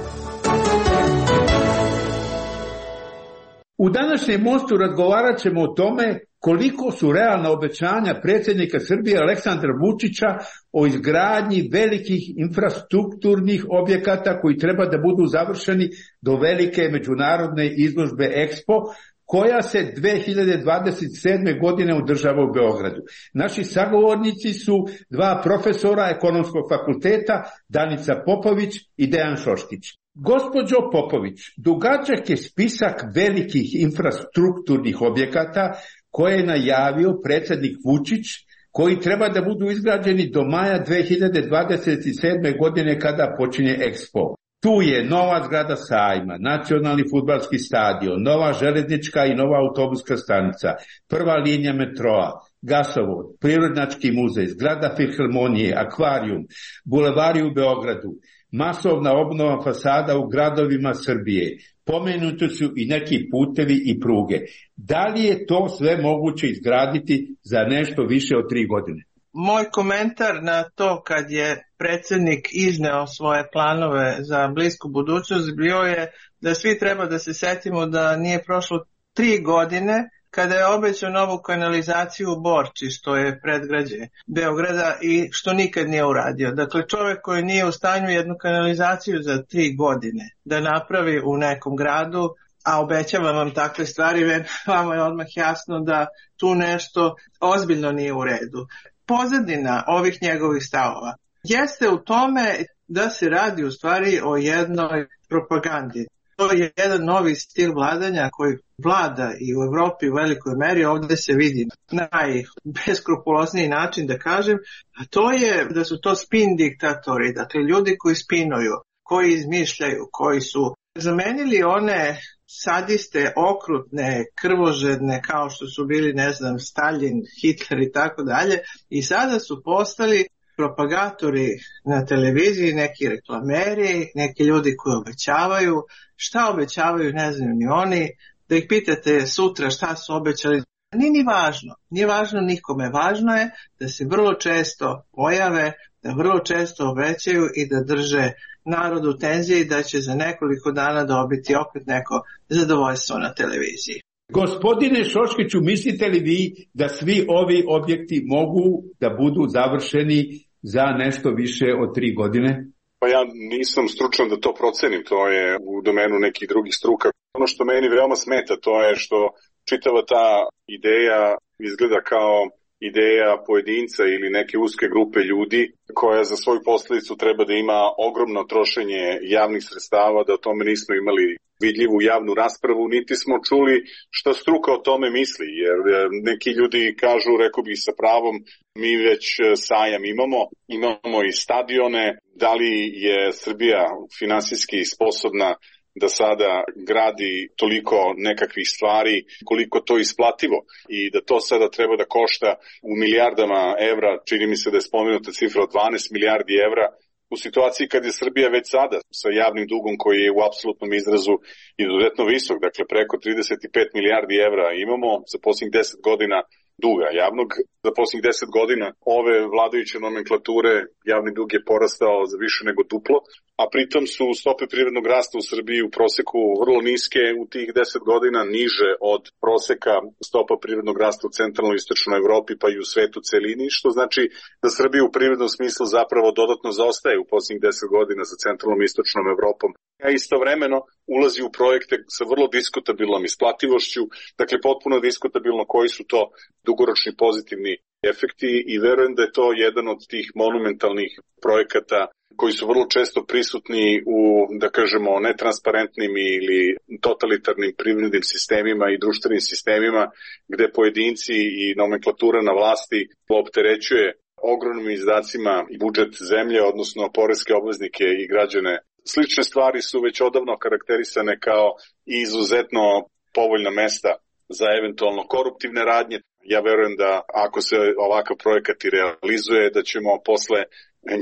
U današnjem mostu razgovarat ćemo o tome koliko su realna obećanja predsjednika Srbije Aleksandra Vučića o izgradnji velikih infrastrukturnih objekata koji treba da budu završeni do velike međunarodne izložbe Expo, koja se 2027. godine održava u Beogradu. Naši sagovornici su dva profesora Ekonomskog fakulteta, Danica Popović i Dejan Šoškić. Gospođo Popović, dugačak je spisak velikih infrastrukturnih objekata koje je najavio predsjednik Vučić, koji treba da budu izgrađeni do maja 2027. godine kada počinje Expo. Tu je nova zgrada sajma, nacionalni fudbalski stadion, nova željeznička i nova autobuska stanica, prva linija metroa, gasovod, prirodnjački muzej, zgrada filharmonije, akvarijum, bulevari u Beogradu, masovna obnova fasada u gradovima Srbije. Pomenuti su i neki putevi i pruge. Da li je to sve moguće izgraditi za nešto više od 3 godine? Moj komentar na to kad je predsjednik izneo svoje planove za blisku budućnost bio je da svi treba da se setimo da nije prošlo 3 godine kada je obećao novu kanalizaciju u Borči, što je predgrađe Beograda, i što nikad nije uradio. Dakle, čovjek koji nije u stanju jednu kanalizaciju za 3 godine da napravi u nekom gradu, a obećavam vam takve stvari, vama je odmah jasno da tu nešto ozbiljno nije u redu. Pozadina ovih njegovih stavova jeste u tome da se radi u stvari o jednoj propagandi. To je jedan novi stil vladanja koji vlada i u Evropi u velikoj meri, ovdje se vidi najbeskrupulozniji način da kažem, a to je da su to spin diktatori, dakle ljudi koji spinuju, koji izmišljaju, koji su zamenili one sadiste, okrutne, krvožedne kao što su bili, ne znam, Stalin, Hitler i tako dalje, i sada su postali propagatori na televiziji, neki reklameri, neki ljudi koji obećavaju. Šta obećavaju ne znam ni oni, da ih pitate sutra šta su obećali. Nije važno nikome, važno je da se vrlo često pojave, da vrlo često obećaju i da drže narod u tenziji i da će za nekoliko dana dobiti opet neko zadovoljstvo na televiziji. Gospodine Šoškiću, mislite li vi da svi ovi objekti mogu da budu završeni za nešto više od 3 godine? Pa ja nisam stručan da to procenim, to je u domenu nekih drugih struka. Ono što meni veoma smeta to je što čitava ta ideja izgleda kao ideja pojedinca ili neke uske grupe ljudi koja za svoju posljedicu treba da ima ogromno trošenje javnih sredstava, da o tome nismo imali vidljivu javnu raspravu, niti smo čuli šta struka o tome misli, jer neki ljudi kažu, rekao bih sa pravom, mi već sajam imamo i stadione, da li je Srbija finansijski sposobna da sada gradi toliko nekakvih stvari, koliko to isplativo i da to sada treba da košta u milijardama evra, čini mi se da je spomenuta cifra od 12 milijardi evra, u situaciji kad je Srbija već sada sa javnim dugom koji je u apsolutnom izrazu izuzetno visok, dakle preko 35 milijardi evra imamo za posljednjih 10 godina duga javnog. Za posljednjih 10 godina ove vladajuće nomenklature javni dug je porastao za više nego duplo, a pritom su stope privrednog rasta u Srbiji u proseku vrlo niske u tih 10 godina, niže od proseka stopa privrednog rasta u centralnoj i istočnoj Evropi pa i u svetu celini, što znači da Srbija u privrednom smislu zapravo dodatno zaostaje u posljednjih 10 godina za centralnom i istočnom Evropom, a istovremeno ulazi u projekte sa vrlo diskutabilnom isplativošću, dakle potpuno diskutabilno koji su to dugoročni pozitivni efekti i verujem da je to jedan od tih monumentalnih projekata koji su vrlo često prisutni u, da kažemo, netransparentnim ili totalitarnim privrednim sistemima i društvenim sistemima gde pojedinci i nomenklatura na vlasti opterećuje ogromnim izdacima budžet zemlje, odnosno poreske obveznike i građane. Slične stvari su već odavno karakterisane kao izuzetno povoljna mesta za eventualno koruptivne radnje. Ja verujem da ako se ovakav projekat i realizuje, da ćemo posle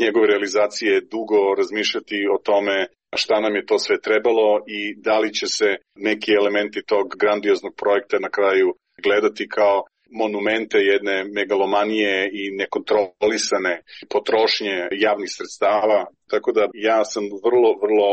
njegove realizacije dugo razmišljati o tome šta nam je to sve trebalo i da li će se neki elementi tog grandioznog projekta na kraju gledati kao monumente jedne megalomanije i nekontrolisane potrošnje javnih sredstava. Tako da ja sam vrlo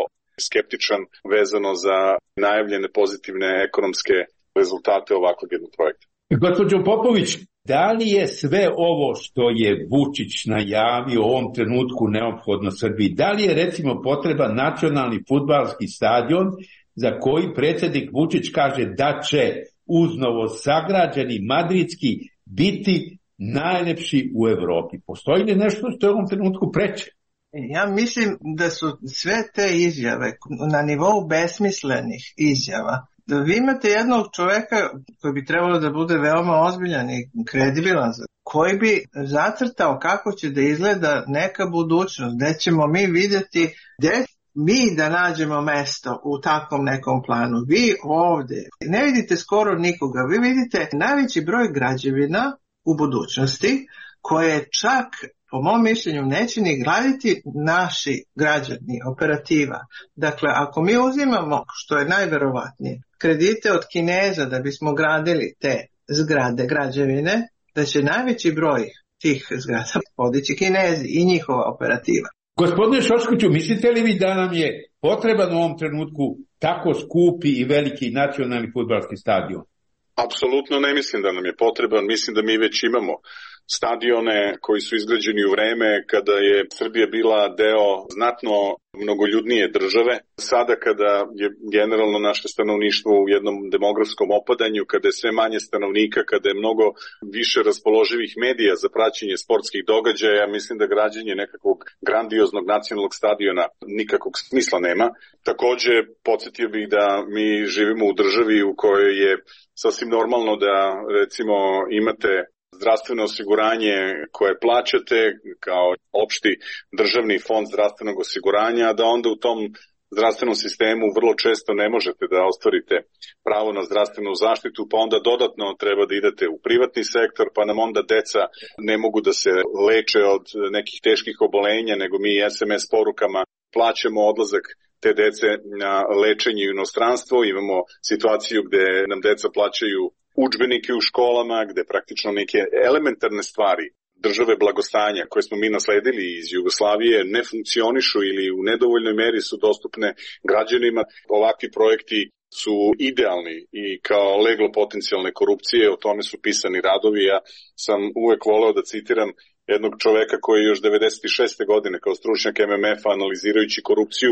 skeptičan vezano za najavljene pozitivne ekonomske rezultate ovakvog jednog projekta. Gospođo Popović, da li je sve ovo što je Vučić najavio u ovom trenutku neophodno Srbiji? Da li je recimo potreban nacionalni fudbalski stadion za koji predsjednik Vučić kaže da će uz novosagrađeni madridski biti najlepši u Evropi? Postoji li nešto što je u ovom trenutku preče? Ja mislim da su sve te izjave na nivou besmislenih izjava. Vi imate jednog čoveka koji bi trebalo da bude veoma ozbiljan i kredibilan, koji bi zacrtao kako će da izgleda neka budućnost, gde ćemo mi vidjeti, gde mi da nađemo mesto u takvom nekom planu. Vi ovdje ne vidite skoro nikoga, vi vidite najveći broj građevina u budućnosti koje čak, po mom mišljenju, neće ni graditi naši građani, operativa. Dakle, ako mi uzimamo, što je najverovatnije, kredite od Kineza da bismo gradili te zgrade, građevine, da će najveći broj tih zgrada podići Kinezi i njihova operativa. Gospodine Šoškoviću, mislite li vi da nam je potreban u ovom trenutku tako skupi i veliki nacionalni fudbalski stadion? Apsolutno ne mislim da nam je potreban, mislim da mi već imamo stadione koji su izgrađeni u vreme kada je Srbija bila deo znatno mnogoljudnije države. Sada kada je generalno naše stanovništvo u jednom demografskom opadanju, kada je sve manje stanovnika, kada je mnogo više raspoloživih medija za praćenje sportskih događaja, mislim da građenje nekakvog grandioznog nacionalnog stadiona nikakvog smisla nema. Takođe, podsjetio bih da mi živimo u državi u kojoj je sasvim normalno da recimo imate zdravstveno osiguranje koje plaćate kao opšti državni fond zdravstvenog osiguranja, da onda u tom zdravstvenom sistemu vrlo često ne možete da ostvarite pravo na zdravstvenu zaštitu, pa onda dodatno treba da idete u privatni sektor, pa nam onda deca ne mogu da se leče od nekih teških obolenja, nego mi SMS porukama plaćamo odlazak te dece na lečenje u inostranstvo. Imamo situaciju gde nam deca plaćaju udžbenike u školama, gde praktično neke elementarne stvari države blagostanja koje smo mi nasledili iz Jugoslavije ne funkcionišu ili u nedovoljnoj meri su dostupne građanima. Ovakvi projekti su idealni i kao leglo potencijalne korupcije, o tome su pisani radovi. Ja sam uvek voleo da citiram jednog čoveka koji je još 96. godine kao stručnjak MMF-a analizirajući korupciju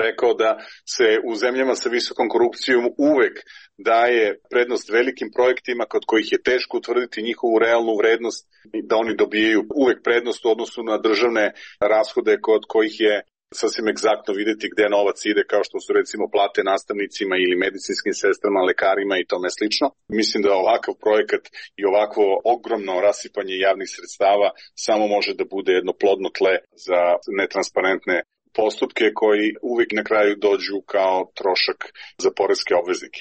rekao da se u zemljama sa visokom korupcijom uvek daje prednost velikim projektima kod kojih je teško utvrditi njihovu realnu vrednost, da oni dobijaju uvek prednost u odnosu na državne rashode kod kojih je sasvim egzaktno videti gde novac ide, kao što su recimo plate nastavnicima ili medicinskim sestrama, lekarima i tome slično. Mislim da ovakav projekat i ovakvo ogromno rasipanje javnih sredstava samo može da bude jedno plodno tle za netransparentne postupke koji uvijek na kraju dođu kao trošak za poreske obveznike.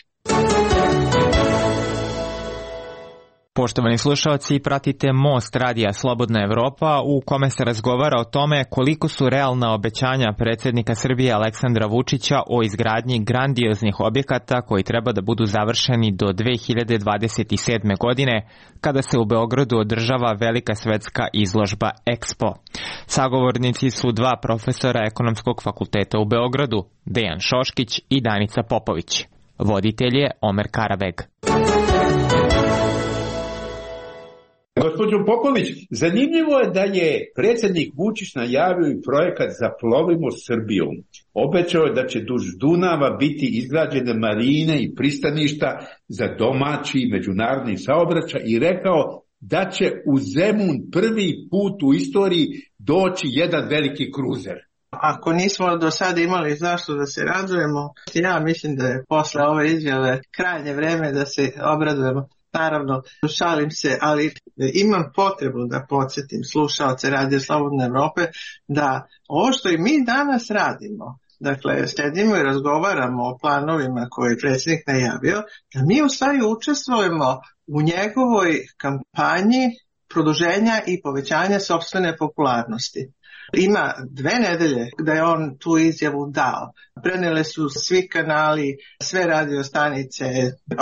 Poštovani slušalci, pratite Most radija Slobodna Evropa u kome se razgovara o tome koliko su realna obećanja predsjednika Srbije Aleksandra Vučića o izgradnji grandioznih objekata koji treba da budu završeni do 2027. godine, kada se u Beogradu održava velika svetska izložba Expo. Sagovornici su dva profesora Ekonomskog fakulteta u Beogradu, Dejan Šoškić i Danica Popović. Voditelj je Omer Karabeg. Gospođo Popović, zanimljivo je da je predsjednik Vučić najavio i projekat Zaplovimo Srbijom. Obećao je da će duž Dunava biti izgrađene marine i pristaništa za domaći i međunarodni saobraćaj i rekao da će u Zemun prvi put u istoriji doći jedan veliki kruzer. Ako nismo do sada imali zašto da se radujemo, ja mislim da je posle ove izjave krajnje vreme da se obradujemo. Naravno, šalim se, ali imam potrebu da podsjetim slušaoce Radija Slobodne Evrope da ovo što i mi danas radimo, dakle, sedimo i razgovaramo o planovima koje je predsjednik najavio, da mi u stvari učestvujemo u njegovoj kampanji produženja i povećanja sopstvene popularnosti. Ima 2 nedelje da je on tu izjavu dao. Prenele su svi kanali, sve radio stanice,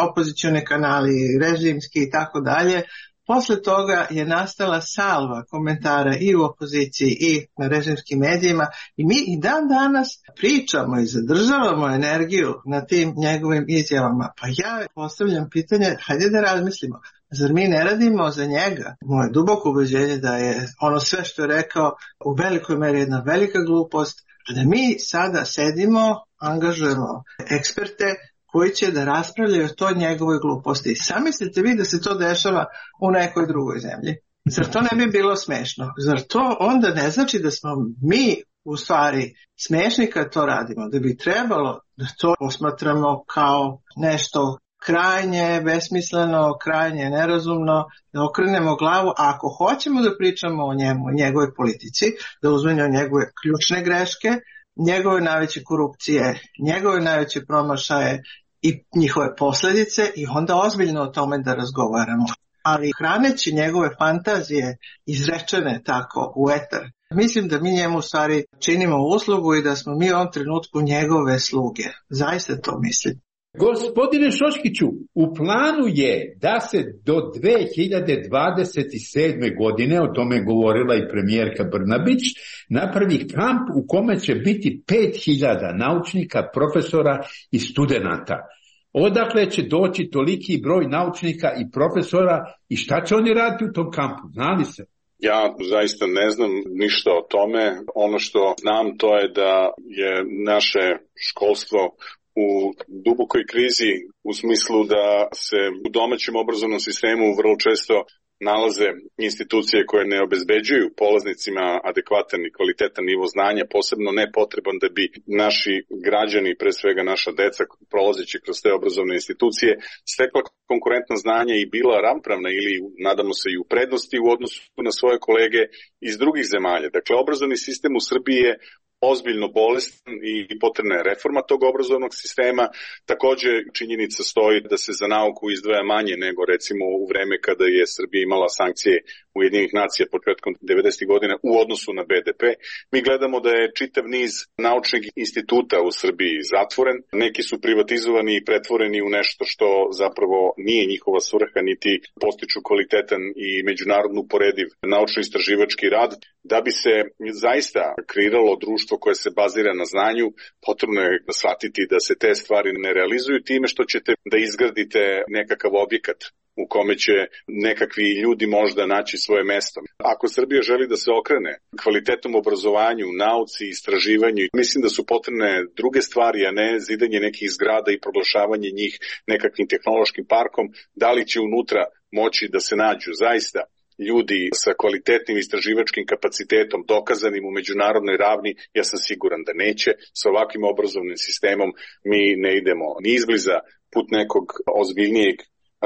opozicione kanali, režimski i tako dalje. Posle toga je nastala salva komentara i u opoziciji i na režimskim medijima i mi i dan danas pričamo i zadržavamo energiju na tim njegovim izjavama. Pa ja postavljam pitanje, hajde da razmislimo. Zar mi ne radimo za njega? Moje duboko ubeđenje da je ono sve što je rekao u velikoj meri jedna velika glupost, a da mi sada sedimo, angažujemo eksperte koji će da raspravljaju o toj njegovoj gluposti. Zamislite vi da se to dešava u nekoj drugoj zemlji. Zar to ne bi bilo smešno? Zar to onda ne znači da smo mi u stvari smešni kad to radimo? Da bi trebalo da to posmatramo kao nešto krajnje besmisleno, krajnje nerazumno, da okrenemo glavu, a ako hoćemo da pričamo o njemu, o njegovoj politici, da uzmemo njegove ključne greške, njegove najveće korupcije, njegove najveće promašaje i njihove posljedice i onda ozbiljno o tome da razgovaramo. Ali hraneći njegove fantazije izrečene tako u etar, mislim da mi njemu u stvari činimo uslugu i da smo mi u ovom trenutku njegove sluge. Zaista to mislim. Gospodine Šoškiću, u planu je da se do 2027. godine, o tome govorila i premijerka Brnabić, napravi kamp u kome će biti 5000 naučnika, profesora i studenata. Odakle će doći toliki broj naučnika i profesora i šta će oni raditi u tom kampu? Znali se? Ja zaista ne znam ništa o tome. Ono što znam to je da je naše školstvo u dubokoj krizi u smislu da se u domaćem obrazovnom sistemu vrlo često nalaze institucije koje ne obezbeđuju polaznicima adekvatan i kvalitetan nivo znanja, posebno nepotreban da bi naši građani, pre svega naša deca, prolazeći kroz te obrazovne institucije, stekla konkurentna znanja i bila ravnopravna ili, nadamo se, i u prednosti u odnosu na svoje kolege iz drugih zemalja. Dakle, obrazovni sistem u Srbiji je ozbiljno bolestan i potrebna je reforma tog obrazovnog sistema. Također činjenica stoji da se za nauku izdvaja manje nego recimo u vreme kada je Srbija imala sankcije Ujedinjenih nacija početkom 90. godina u odnosu na BDP. Mi gledamo da je čitav niz naučnih instituta u Srbiji zatvoren. Neki su privatizovani i pretvoreni u nešto što zapravo nije njihova svrha niti postiču kvalitetan i međunarodno uporediv naučno-istraživački rad. Da bi se zaista kreiralo društvo koje se bazira na znanju, potrebno je shvatiti da se te stvari ne realizuju time što ćete da izgradite nekakav objekat u kome će nekakvi ljudi možda naći svoje mesto. Ako Srbija želi da se okrene kvalitetnom obrazovanju, nauci, istraživanju, mislim da su potrebne druge stvari, a ne zidanje nekih zgrada i proglašavanje njih nekakvim tehnološkim parkom. Da li će unutra moći da se nađu zaista ljudi sa kvalitetnim istraživačkim kapacitetom, dokazanim u međunarodnoj ravni, ja sam siguran da neće. Sa ovakvim obrazovnim sistemom mi ne idemo ni izbliza put nekog ozbiljnijeg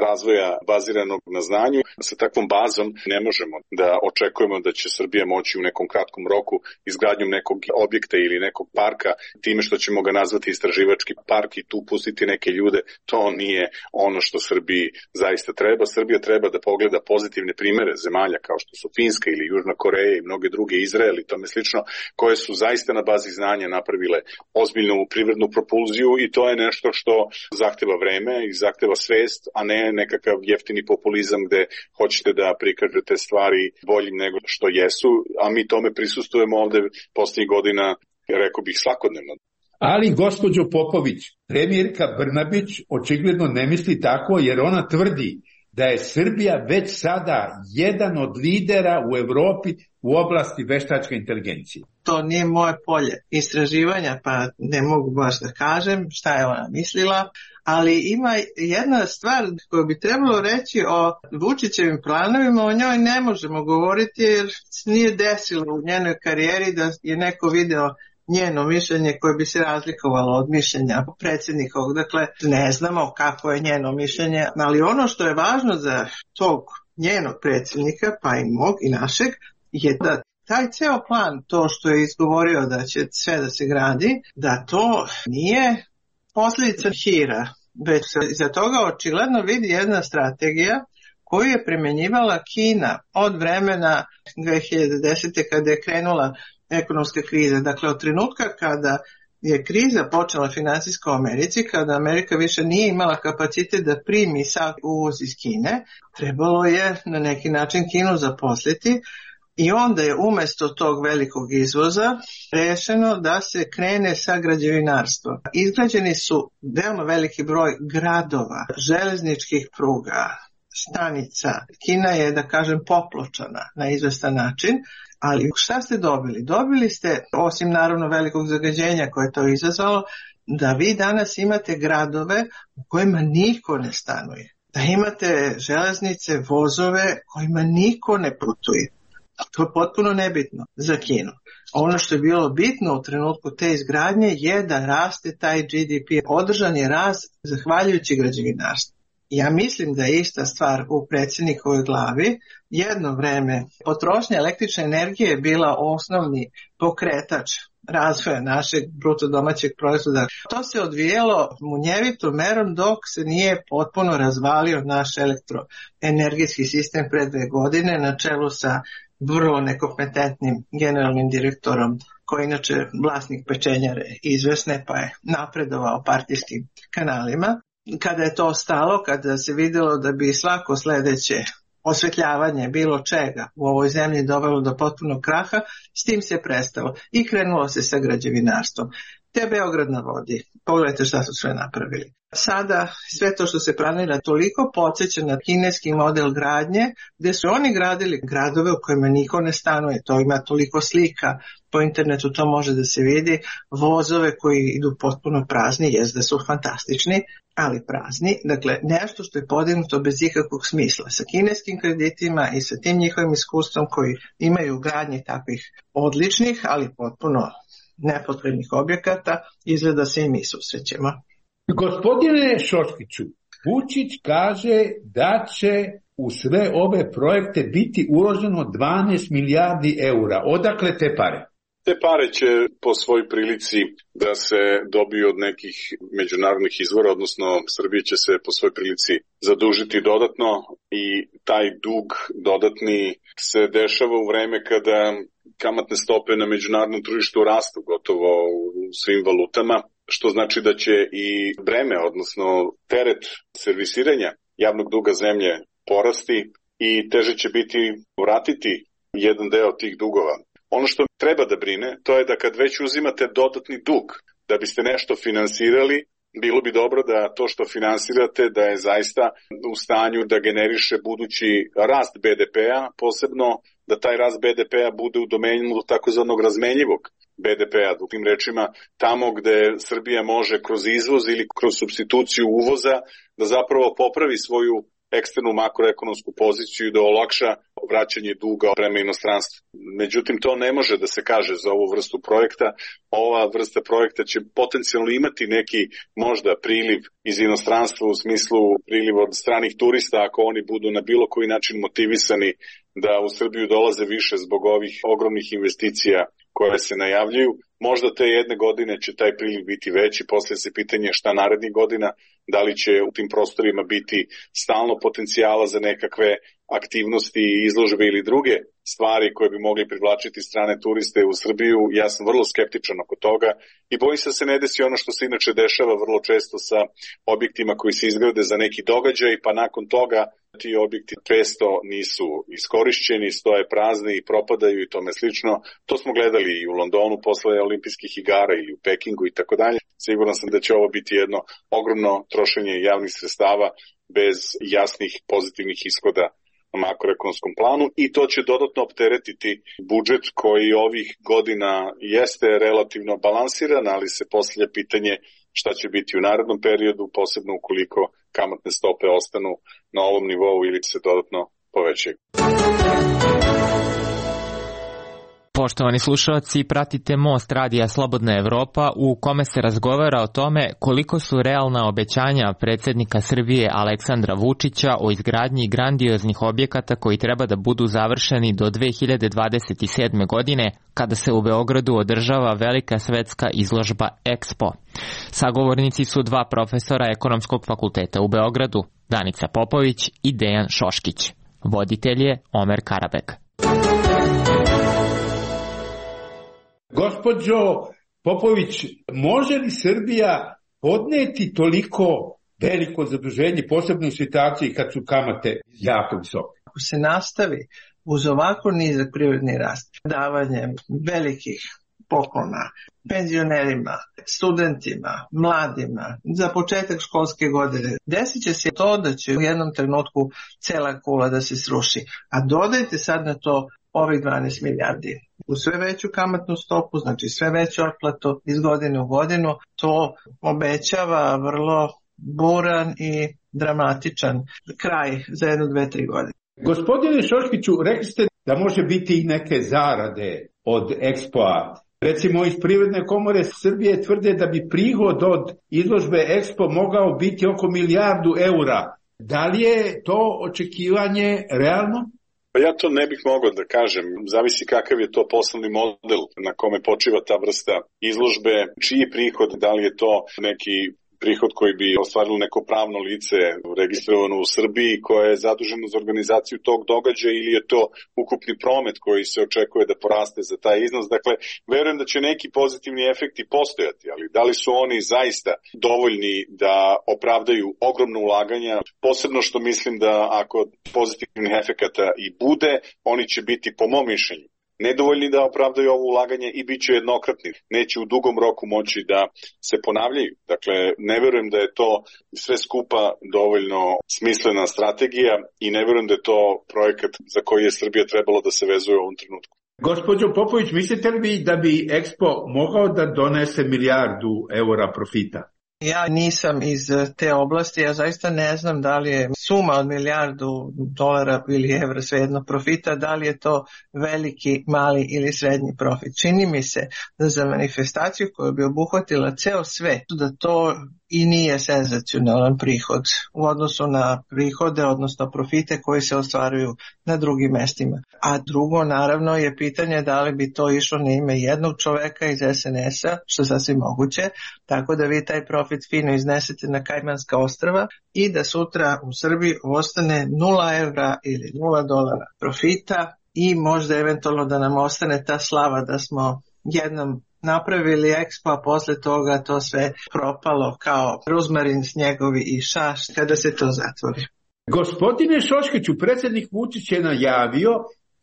razvoja baziranog na znanju. Sa takvom bazom ne možemo da očekujemo da će Srbija moći u nekom kratkom roku izgradnjom nekog objekta ili nekog parka, time što ćemo ga nazvati istraživački park i tu pustiti neke ljude. To nije ono što Srbiji zaista treba. Srbija treba da pogleda pozitivne primere zemalja kao što su Finska ili Južna Koreja i mnoge druge, Izrael i tome slično, koje su zaista na bazi znanja napravile ozbiljnu privrednu propulziju i to je nešto što zahteva vreme i zahteva svest, a ne nekakav jeftini populizam gde hoćete da prikažete stvari boljim nego što jesu, a mi tome prisustujemo ovde posljednjih godina, rekao bih, svakodnevno. Ali, gospođo Popović, premijerka Brnabić očigledno ne misli tako, jer ona tvrdi da je Srbija već sada jedan od lidera u Evropi u oblasti veštačke inteligencije. To nije moje polje istraživanja, pa ne mogu baš da kažem šta je ona mislila, ali ima jedna stvar koju bi trebalo reći o Vučićevim planovima, o njoj ne možemo govoriti jer nije desilo u njenoj karijeri da je neko video njeno mišljenje koje bi se razlikovalo od mišljenja predsjednikovog. Dakle, ne znamo kako je njeno mišljenje, ali ono što je važno za tog njenog predsjednika, pa i mog i našeg, je da taj ceo plan, to što je izgovorio da će sve da se gradi, da to nije posljedica hira, već iza toga očigledno vidi jedna strategija koju je primjenjivala Kina od vremena 2010. kada je krenula ekonomska kriza. Dakle, od trenutka kada je kriza počela financijska u Americi, kada Amerika više nije imala kapacitet da primi sav uvoz iz Kine, trebalo je na neki način Kinu zaposliti i onda je umjesto tog velikog izvoza rešeno da se krene sa građevinarstvom. Izgrađeni su veoma veliki broj gradova, železničkih pruga, stanica. Kina je, da kažem, popločana na izvestan način, ali šta ste dobili? Dobili ste, osim naravno velikog zagađenja koje je to izazvalo, da vi danas imate gradove u kojima niko ne stanuje. Da imate železnice, vozove kojima niko ne putuje. To je potpuno nebitno za Kinu. Ono što je bilo bitno u trenutku te izgradnje je da raste taj GDP. Održan je rast zahvaljujući građevinarstvu. Ja mislim da je ista stvar u predsjednikovoj glavi. Jedno vreme potrošnja električne energije je bila osnovni pokretač razvoja našeg bruto domaćeg proizvoda. To se odvijelo munjevitom merom dok se nije potpuno razvalio naš elektroenergetski sistem pre 2 godine na čelu sa vrlo nekompetentnim generalnim direktorom koji je inače vlasnik pečenjare izvesne pa je napredovao partijskim kanalima. Kada je to stalo, kada se vidjelo da bi svako sljedeće osvetljavanje bilo čega u ovoj zemlji dovelo do potpunog kraha, s tim se prestalo i krenulo se sa građevinarstvom. Te Beograd na vodi, pogledajte šta su sve napravili. Sada sve to što se planira toliko podsjeća na kineski model gradnje, gdje su oni gradili gradove u kojima niko ne stanuje, to ima toliko slika, po internetu to može da se vidi, vozove koji idu potpuno prazni, jest da su fantastični, ali prazni, dakle nešto što je podignuto bez ikakvog smisla, sa kineskim kreditima i sa tim njihovim iskustvom koji imaju u gradnji takvih odličnih, ali potpuno nepotrebnih objekata, izgleda se i mi susrećemo. Gospodine Šoškiću, Vučić kaže da će u sve ove projekte biti uloženo 12 milijardi eura. Odakle te pare? Te pare će po svoj prilici da se dobiju od nekih međunarodnih izvora, odnosno Srbija će se po svoj prilici zadužiti dodatno i taj dug dodatni se dešava u vreme kada kamatne stope na međunarodnom tržištu rastu gotovo u svim valutama, što znači da će i breme, odnosno teret servisiranja javnog duga zemlje porasti i teže će biti vratiti jedan deo tih dugova. Ono što treba da brine, to je da kad već uzimate dodatni dug da biste nešto finansirali, bilo bi dobro da to što finansirate da je zaista u stanju da generiše budući rast BDP-a, posebno da taj rast BDP-a bude u domenu takozvanog razmenjivog BDP-a, drugim rečima tamo gde Srbija može kroz izvoz ili kroz supstituciju uvoza da zapravo popravi svoju eksternu makroekonomsku poziciju i da olakša vraćanje duga prema inostranstvu. Međutim, to ne može da se kaže za ovu vrstu projekta. Ova vrsta projekta će potencijalno imati neki možda priliv iz inostranstva u smislu priliva od stranih turista ako oni budu na bilo koji način motivisani da u Srbiju dolaze više zbog ovih ogromnih investicija koje se najavljuju. Možda te jedne godine će taj priliv biti veći, poslije se pitanje šta narednih godina, da li će u tim prostorima biti stalno potencijala za nekakve aktivnosti, izložbe ili druge stvari koje bi mogli privlačiti strane turiste u Srbiju. Ja sam vrlo skeptičan oko toga i bojim se da se ne desi ono što se inače dešava vrlo često sa objektima koji se izgrade za neki događaj, pa nakon toga ti objekti često nisu iskorišćeni, stoje prazni i propadaju i tome slično. To smo gledali i u Londonu posle olimpijskih igara ili u Pekingu i tako dalje. Siguran sam da će ovo biti jedno ogromno trošenje javnih sredstava bez jasnih pozitivnih ishoda na makroekonomskom planu i to će dodatno opteretiti budžet koji ovih godina jeste relativno balansiran, ali se postavlja pitanje šta će biti u narednom periodu, posebno ukoliko kamatne stope ostanu na ovom nivou ili se dodatno povećaju. Poštovani slušalci, pratite Most radija Slobodna Evropa u kome se razgovara o tome koliko su realna obećanja predsjednika Srbije Aleksandra Vučića o izgradnji grandioznih objekata koji treba da budu završeni do 2027. godine kada se u Beogradu održava velika svetska izložba Expo. Sagovornici su dva profesora Ekonomskog fakulteta u Beogradu, Danica Popović i Dejan Šoškić. Voditelj je Omer Karabek. Gospođo Popović, može li Srbija podneti toliko veliko zaduženje, posebno u situaciji kad su kamate jako visoke? Ako se nastavi uz ovako nizak privredni rast, davanjem velikih poklona penzionerima, studentima, mladima, za početak školske godine, desit će se to da će u jednom trenutku cela kula da se sruši. A dodajte sad na to ovih 12 milijardi. U sve veću kamatnu stopu, znači sve veću otplatu iz godine u godinu, to obećava vrlo buran i dramatičan kraj za 1, 2, 3 godine. Gospodine Šoškiću, rekli ste da može biti i neke zarade od Expo-a. Recimo iz Privredne komore Srbije tvrde da bi prihod od izložbe Expo mogao biti oko 1 milijardu eura. Da li je to očekivanje realno? Pa ja to ne bih mogao da kažem, zavisi kakav je to poslovni model na kome počiva ta vrsta izložbe, čiji prihod, da li je to neki prihod koji bi ostvarilo neko pravno lice registrovano u Srbiji koje je zaduženo za organizaciju tog događaja ili je to ukupni promet koji se očekuje da poraste za taj iznos. Dakle, verujem da će neki pozitivni efekti postojati, ali da li su oni zaista dovoljni da opravdaju ogromno ulaganja, posebno što mislim da ako pozitivnih efekata i bude, oni će biti po mom mišljenju nedovoljni da opravdaju ovo ulaganje i bit će jednokratni. Neće u dugom roku moći da se ponavljaju. Dakle, ne verujem da je to sve skupa dovoljno smislena strategija i ne verujem da je to projekat za koji je Srbija trebalo da se vezuje u ovom trenutku. Gospođo Popović, mislite li vi da bi Expo mogao da donese 1 milijardu eura profita? Ja nisam iz te oblasti, ja zaista ne znam da li je suma od $1 milijardu ili evra, svejedno profita, da li je to veliki, mali ili srednji profit. Čini mi se da za manifestaciju koja bi obuhvatila ceo svet, da to i nije senzacionalan prihod u odnosu na prihode, odnosno profite koji se ostvaruju na drugim mestima. A drugo, naravno, je pitanje da li bi to išlo na ime jednog čoveka iz SNS-a, što je sasvim moguće, tako da vi taj profit fino iznesete na Kajmanska ostrva i da sutra u Srbiji ostane 0 evra ili $0 profita i možda eventualno da nam ostane ta slava da smo jednom napravili Expo, a posle toga to sve propalo kao ruzmarin, snjegovi i šaš kada se to zatvori. Gospodine Šoškiću, predsjednik Vučić je najavio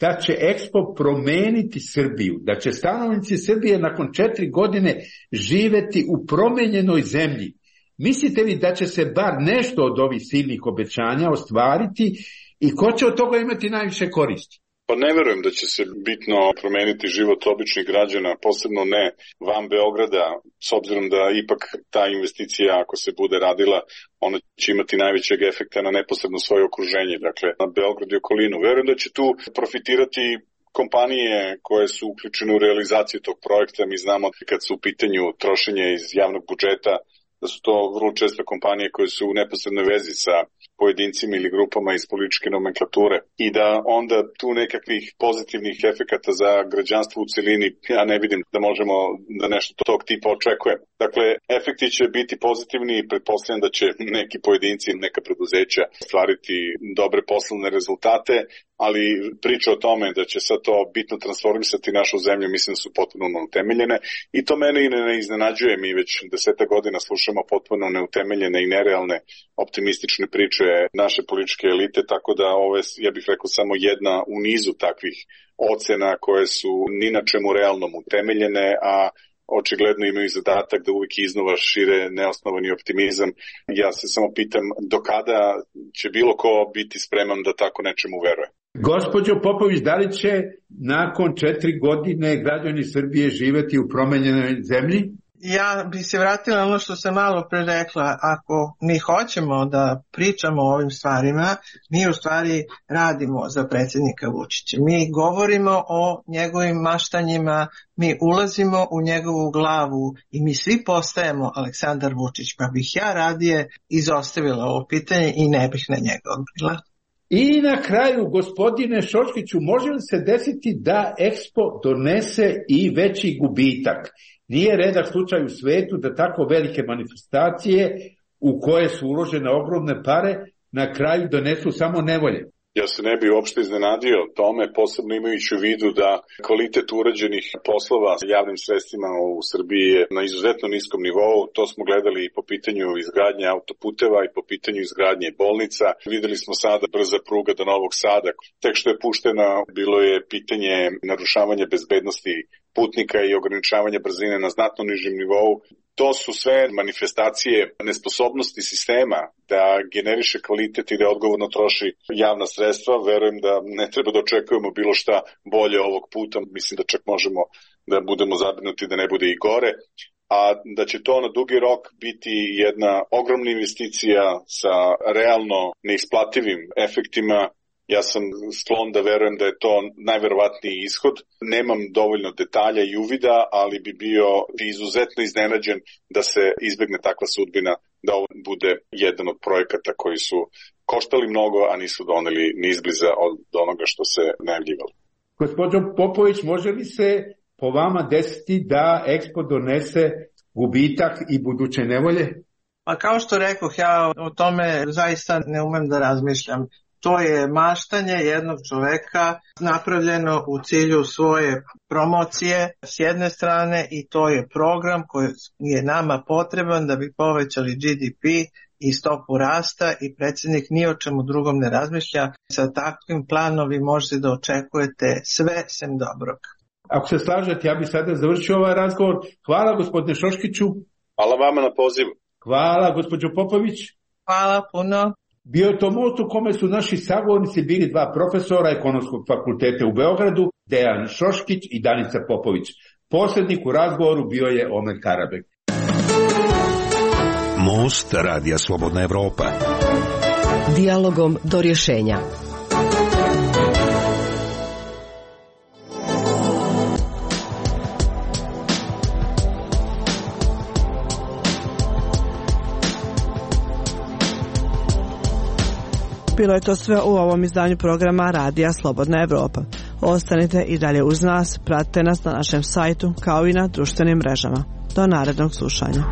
da će Expo promeniti Srbiju, da će stanovnici Srbije nakon 4 godine živeti u promenjenoj zemlji. Mislite li da će se bar nešto od ovih silnih obećanja ostvariti i ko će od toga imati najviše koristi? Pa ne verujem da će se bitno promeniti život običnih građana, posebno ne van Beograda, s obzirom da ipak ta investicija, ako se bude radila, ona će imati najvećeg efekta na neposredno svoje okruženje, dakle na Beograd i okolinu. Verujem da će tu profitirati kompanije koje su uključene u realizaciju tog projekta. Mi znamo kad su u pitanju trošenje iz javnog budžeta, da su to vrlo često kompanije koje su u neposrednoj vezi sa pojedincima ili grupama iz političke nomenklature i da onda tu nekakvih pozitivnih efekata za građanstvo u celini ja ne vidim da možemo da nešto tog tipa očekujemo. Dakle, efekti će biti pozitivni i pretpostavljam da će neki pojedinci, neka preduzeća stvariti dobre poslovne rezultate, ali priča o tome da će sad to bitno transformisati našu zemlju, mislim da su potpuno neutemeljene i to mene i ne iznenađuje. Mi već 10 godina slušamo potpuno neutemeljene i nerealne optimistične priče naše političke elite, tako da ovo je, ja bih rekao, samo jedna u nizu takvih ocena koje su ni na čemu realnom utemeljene, a očigledno imaju zadatak da uvijek iznova šire neosnovani optimizam. Ja se samo pitam do kada će bilo ko biti spreman da tako nečemu veruje. Gospođo Popović, da li će nakon 4 godine građani Srbije živeti u promenjenoj zemlji? Ja bi se vratila ono što sam malo pre rekla. Ako mi hoćemo da pričamo o ovim stvarima, mi u stvari radimo za predsjednika Vučića. Mi govorimo o njegovim maštanjima, mi ulazimo u njegovu glavu i mi svi postajemo Aleksandar Vučić. Pa bih ja radije izostavila ovo pitanje i ne bih na njega odgovorila. I na kraju, gospodine Šoškiću, može li se desiti da EKSPO donese i veći gubitak? Nije redak slučaj u svetu da tako velike manifestacije u koje su uložene ogromne pare na kraju donesu samo nevolje. Ja se ne bi uopšte iznenadio tome, posebno imajući u vidu da kvalitet urađenih poslova s javnim sredstvima u Srbiji je na izuzetno niskom nivou. To smo gledali i po pitanju izgradnje autoputeva i po pitanju izgradnje bolnica. Videli smo sada brza pruga do Novog Sada. Tek što je puštena, bilo je pitanje narušavanja bezbednosti putnika i ograničavanja brzine na znatno nižem nivou. To su sve manifestacije nesposobnosti sistema da generiše kvalitet i da odgovorno troši javna sredstva. Verujem da ne treba da očekujemo bilo šta bolje ovog puta. Mislim da čak možemo da budemo zabrinuti da ne bude i gore. A da će to na dugi rok biti jedna ogromna investicija sa realno neisplativim efektima. Ja sam sklon da verujem da je to najverovatniji ishod. Nemam dovoljno detalja i uvida, ali bi bio izuzetno iznenađen da se izbegne takva sudbina, da ovo bude jedan od projekata koji su koštali mnogo, a nisu doneli ni izbliza od onoga što se najavljivalo. Gospođo Popović, može li se po vama desiti da EKSPO donese gubitak i buduće nevolje? Pa kao što rekoh, ja o tome zaista ne umem da razmišljam. To je maštanje jednog čoveka napravljeno u cilju svoje promocije s jedne strane i to je program koji je nama potreban da bi povećali GDP i stopu rasta i predsjednik ni o čemu drugom ne razmišlja. Sa takvim planom vi možete da očekujete sve sem dobrog. Ako se slažete, ja bih sada završio ovaj razgovor. Hvala gospodine Šoškiću. Hvala vama na pozivu. Hvala gospođo Popović. Hvala puno. Bio je to most u kome su naši sagovornici bili 2 profesora Ekonomskog fakulteta u Beogradu, Dejan Šoškić i Danica Popović. Posrednik u razgovoru bio je Omer Karabek. Most Radija Slobodna Evropa. Dijalogom do rješenja. Bilo je to sve u ovom izdanju programa Radija Slobodna Evropa. Ostanite i dalje uz nas, pratite nas na našem sajtu kao i na društvenim mrežama. Do narednog slušanja.